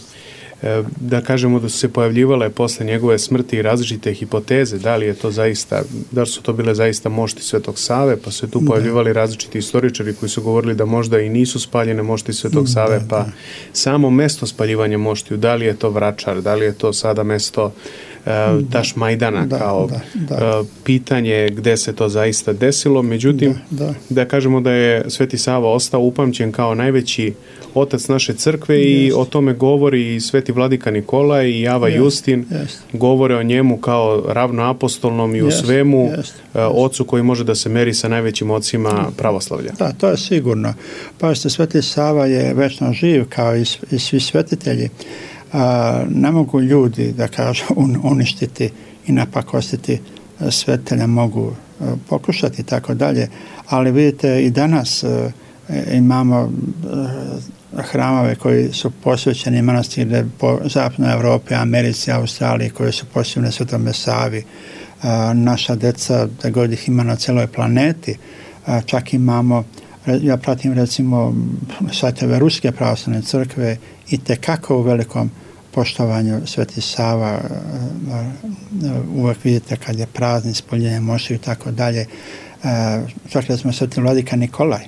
Da kažemo da su se pojavljivale posle njegove smrti različite hipoteze, da li je to zaista, da li su to bile zaista mošti Svetog Save, pa su se tu da. pojavljivali različiti istoričari koji su govorili da možda i nisu spaljene mošti Svetog Save, da, pa da. samo mesto spaljivanja moštiju, da li je to Vračar, da li je to sada mesto uh, Tašmajdana, da, kao da, da. Uh, pitanje gde se to zaista desilo. Međutim, da, da. da kažemo da je Sveti Sava ostao upamćen kao najveći otac naše crkve yes. i o tome govori i Sveti Vladika Nikolaj i Java yes. Justin, yes. govore o njemu kao ravnoapostolnom i yes. u svemu yes. Yes. ocu koji može da se meri sa najvećim ocima pravoslavlja. Da, to je sigurno. Pa što Sveti Sava je večno živ kao i, i svi svetitelji. A, ne mogu ljudi, da kažu, un, uništiti i napakostiti svetitelja, mogu a, pokušati i tako dalje, ali vidite i danas a, imamo a, hramove koji su posvećeni manastire po zapadnoj Evropi, Americi, Australiji, koji su posvećene Svetome Savi. A, naša deca, da god ih ima na celoj planeti, a, čak imamo, ja pratim recimo sajtove Ruske pravoslavne crkve i tekako u velikom poštovanju Sveti Sava, a, a, uvek vidite kad je praznik, spoljenje moštiju i tako dalje. Čak recimo Sveti Vladika Nikolaj,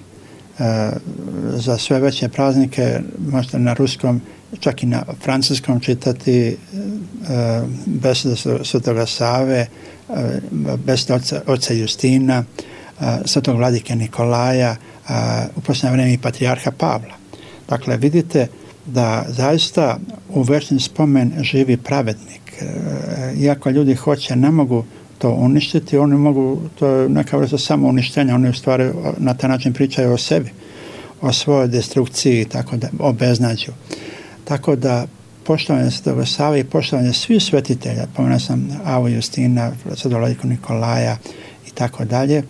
za sve veće praznike možete na ruskom, čak i na francuskom čitati besede Svetoga Save, besede oca, oca Justina, Svetog Vladike Nikolaja, u posljednje vrijeme i Patrijarha Pavla. Dakle, vidite da zaista u večni spomen živi pravednik. Iako ljudi hoće, ne mogu to uništiti, oni mogu, to je neka vrsta samo uništenja, oni u stvari na taj način pričaju o sebi, o svojoj destrukciji, tako da, o beznađu. Tako da poštovanje Svetoga Save i poštovanje svih svetitelja, pomenuo sam Avu Justina, Svetog Vladiku Nikolaja i tako dalje,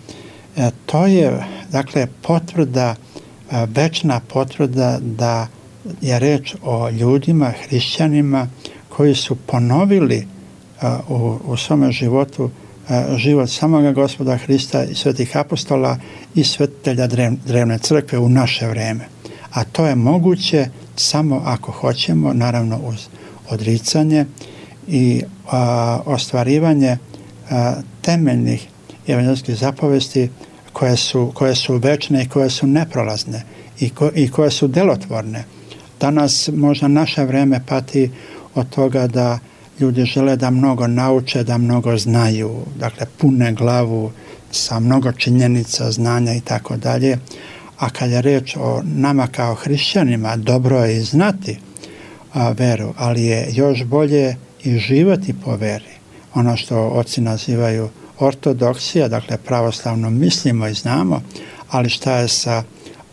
to je, dakle, potvrda, večna potvrda da je reč o ljudima, hrišćanima koji su ponovili u, u svome životu život samoga Gospoda Hrista i svetih apostola i svetitelja drevne crkve u naše vreme. A to je moguće samo ako hoćemo, naravno uz odricanje i a, ostvarivanje a, temeljnih evanđelskih zapovesti koje su, koje su večne i koje su neprolazne i, ko, i koje su delotvorne. Danas možda naše vreme pati od toga da ljudi žele da mnogo nauče, da mnogo znaju, dakle pune glavu sa mnogo činjenica, znanja i tako dalje. A kad je reč o nama kao hrišćanima, dobro je i znati a, veru, ali je još bolje i živjeti po veri. Ono što oci nazivaju ortodoksija, dakle pravoslavno mislimo i znamo, ali šta je sa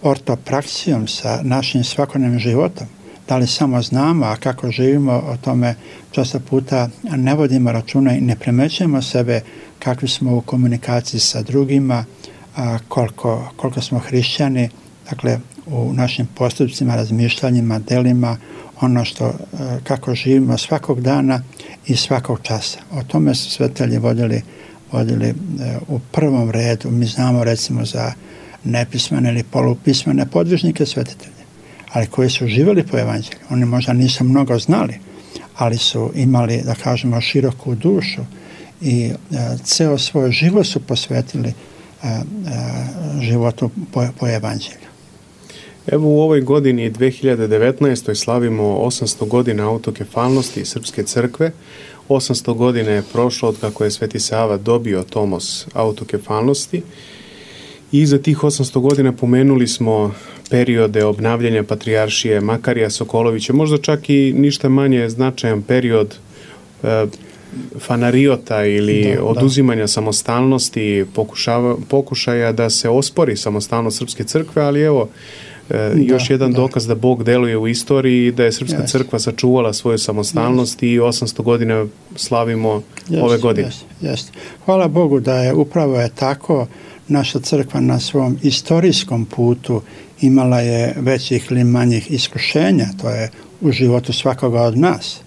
ortopraksijom, sa našim svakodnevnim životom? Da li samo znamo, a kako živimo, o tome često puta ne vodimo računa i ne primećujemo sebe kakvi smo u komunikaciji sa drugima, a, koliko, koliko smo hrišćani, dakle u našim postupcima, razmišljanjima, delima, ono što, kako živimo svakog dana i svakog časa. O tome su svetitelji vodili, vodili u prvom redu. Mi znamo recimo za nepismene ili polupismene podvižnike svetitelje, ali koji su živjeli po evanđelju. Oni možda nisu mnogo znali, ali su imali, da kažemo, široku dušu i ceo svoj život su posvetili životu po, po evanđelju. Evo u ovoj godini dve hiljade devetnaestoj slavimo osamsto godina autokefalnosti Srpske crkve. osamsto godina je prošlo od kako je Sveti Sava dobio tomos autokefalnosti i za tih osamsto godina pomenuli smo periode obnavljanja patrijaršije Makarija Sokolovića, možda čak i ništa manje značajan period e, fanariota ili da, oduzimanja da. samostalnosti, pokušava, pokušaja da se ospori samostalnost Srpske crkve, ali evo E, još da, jedan da. dokaz da Bog deluje u istoriji i da je Srpska yes. crkva sačuvala svoju samostalnost yes. i osamsto godina slavimo yes, ove godine. Yes, yes. Hvala Bogu da je upravo je tako. Naša crkva na svom istorijskom putu imala je većih ili manjih iskušenja, to je u životu svakoga od nas.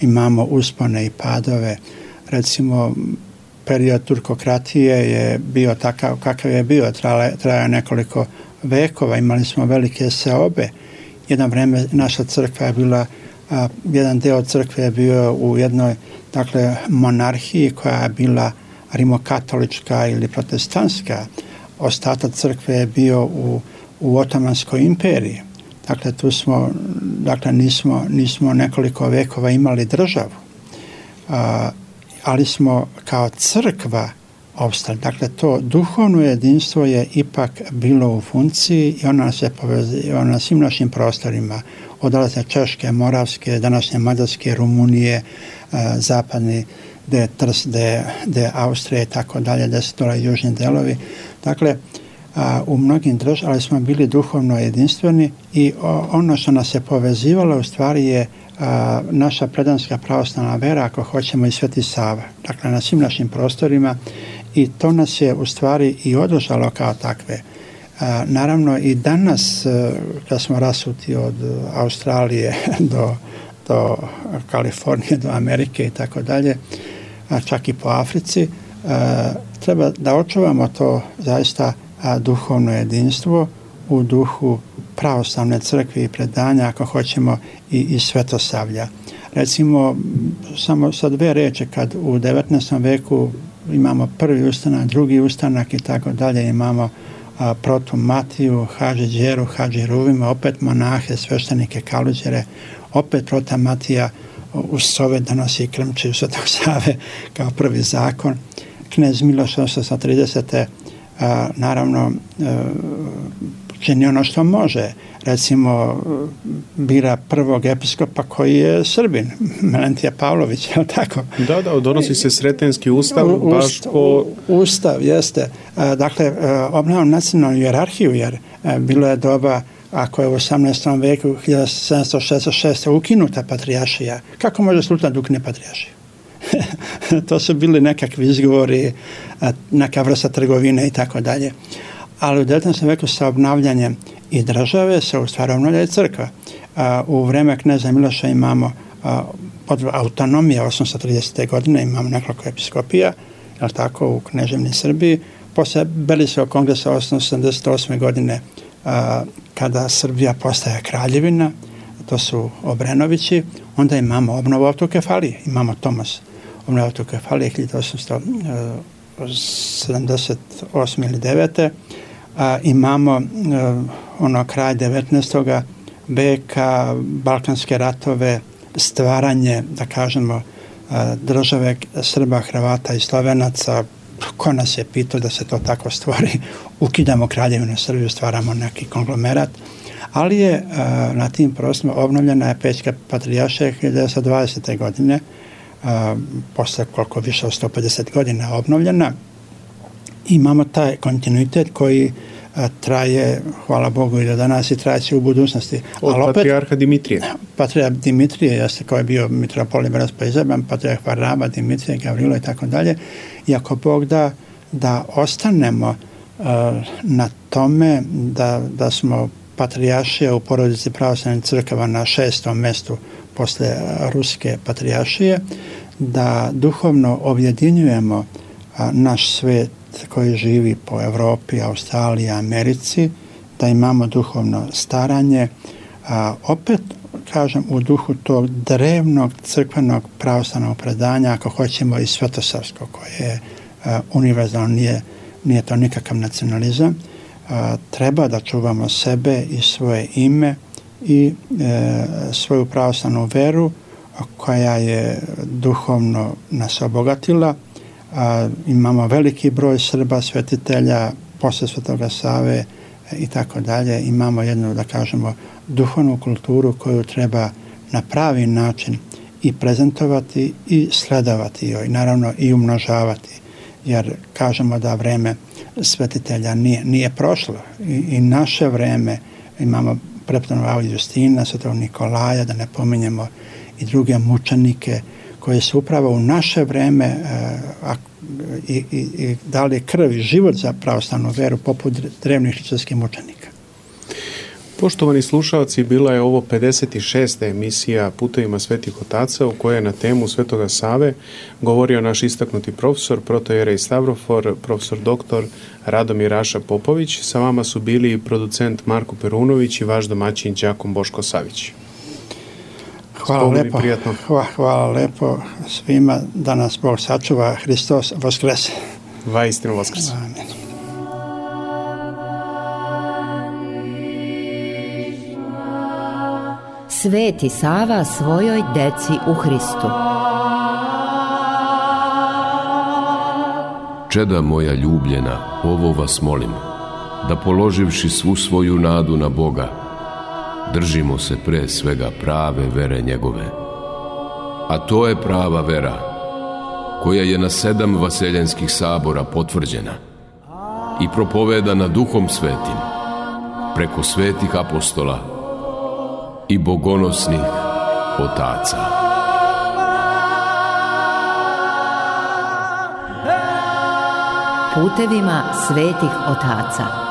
Imamo uspone i padove. Recimo, period turkokratije je bio takav kakav je bio, trajao nekoliko vekova, imali smo velike seobe. Jedno vreme naša crkva je bila, a, jedan deo crkve je bio u jednoj, dakle, monarhiji koja je bila rimokatolička ili protestantska. Ostatak crkve je bio u, u Otomanskoj imperiji. Dakle, tu smo, dakle, nismo, nismo nekoliko vekova imali državu. A, ali smo kao crkva opstali. Dakle, to duhovno jedinstvo je ipak bilo u funkciji i ona se povezuje na svim našim prostorima. Odalaze Češke, Moravske, današnje Mađarske, Rumunije, zapadni, gde je Trst, gde je Austrija i tako dalje, gde su dole južni delovi. Dakle, u mnogim državama, ali smo bili duhovno jedinstveni i ono što nas je povezivalo u stvari je a, naša predanska pravoslavna vera, ako hoćemo, i Sveti Sava. Dakle, na svim našim prostorima i to nas je u stvari i održalo kao takve. A, naravno i danas, kad smo rasuti od Australije do, do Kalifornije, do Amerike i tako dalje, čak i po Africi, a, treba da očuvamo to zaista a, duhovno jedinstvo u duhu pravoslavne crkve i predanja, ako hoćemo, i, i svetosavlja. Recimo, samo sa dve reči, kad u devetnaestom veku imamo prvi ustanak, drugi ustanak i tako dalje, imamo a, protu Matiju, Hadži Đeru, Hadži Ruvima, opet monahe, sveštenike, kaluđere, opet prota Matija uz sove donosi krmčiju Svetog Save kao prvi zakon. Knez Miloš osamsto tridesete A, naravno a, čini ono što može. Recimo bira prvog episkopa koji je Srbin, Melentija Pavlović, je li tako? Da, da, donosi se Sretenski ustav, u, baš po... Ustav, jeste. A, dakle, obnavljamo nacionalnu hijerarhiju, jer a, bilo je doba, ako je u osamnaestom veku hiljadu sedamsto šezdeset šeste ukinuta patrijaršija, kako može sultan da ukine patrijaršiju? To su bili nekakvi izgovori, neka vrsta trgovine i tako dalje. Ali u devetnaestom veku sa obnavljanjem i države se u stvari obnavlja i crkva. U vreme kneza Miloša imamo autonomije osamsto tridesete godine, imamo nekoliko episkopija, je li tako, u Kneževini Srbiji. Posle Beliskog kongresa osamsto sedamdeset osme godine, kada Srbija postaje kraljevina, to su Obrenovići, onda imamo obnovu autokefalije, imamo Tomas obnovu autokefalije hiljadu osamsto sedamdeset osme ili devete. A, imamo a, ono kraj devetnaestog veka, Balkanske ratove, stvaranje, da kažemo, a, države Srba, Hrvata i Slovenaca. Ko nas je pitao da se to tako stvori? Ukidamo Kraljevinu Srbiju, stvaramo neki konglomerat. Ali je a, na tim prostorima obnovljena je Pećka patrijaršija hiljadu devetsto dvadesete godine, a, posle koliko više od sto pedeset godina obnovljena. Imamo taj kontinuitet koji a, traje, hvala Bogu, i do danas i trajeće u budućnosti. Od Ali opet, patrijarha Dimitrije. Patrijarh Dimitrije, jeste, koji je bio mitropolit Braspa izabran, patrijarh Varnaba, Dimitrije, Gavrilo i tako dalje. I ako Bog da, da ostanemo a, na tome da, da smo patrijaršija u porodici pravoslavnih crkava na šestom mestu posle ruske patrijaršije, da duhovno objedinjujemo a, naš svet koji živi po Evropi, Australiji, Americi, da imamo duhovno staranje, a, opet, kažem, u duhu tog drevnog crkvenog pravoslavnog predanja, ako hoćemo i svetosavsko, koje je a, univerzalno, nije, nije to nikakav nacionalizam, a, treba da čuvamo sebe i svoje ime i e, svoju pravoslavnu veru koja je duhovno nas obogatila. A, imamo veliki broj Srba, svetitelja, posle Svetoga Save i tako dalje. Imamo jednu, da kažemo, duhovnu kulturu koju treba na pravi način i prezentovati i sledovati joj, naravno i umnožavati, jer kažemo da vreme svetitelja nije, nije prošlo i, i naše vreme, imamo prepodobnog Justina, Svetog Nikolaja, da ne pominjemo i druge mučenike koji su upravo u naše vreme a, i, i, i dali krv i život za pravoslavnu veru poput drevnih hrišćanskih mučenika. Poštovani slušalci, bila je ovo pedeset šesta emisija Putevima svetih otaca u kojoj je na temu Svetoga Save govorio naš istaknuti profesor, protojerej Stavrofor, profesor doktor Radomir Raša Popović. Sa vama su bili producent Marko Perunović i vaš domaćin đakon Boško Savić. Hvala lepo, hvala, hvala lepo svima, da nas Bog sačuva, Hristos vaskrese. Vaistinu vaskrese. Amen. Sveti Sava svojoj deci u Hristu. Čeda moja ljubljena, ovo vas molim, da položivši svu svoju nadu na Boga, držimo se pre svega prave vere njegove. A to je prava vera, koja je na sedam vaseljenskih sabora potvrđena i propovedana Duhom Svetim, preko svetih apostola i bogonosnih otaca. Putevima svetih otaca.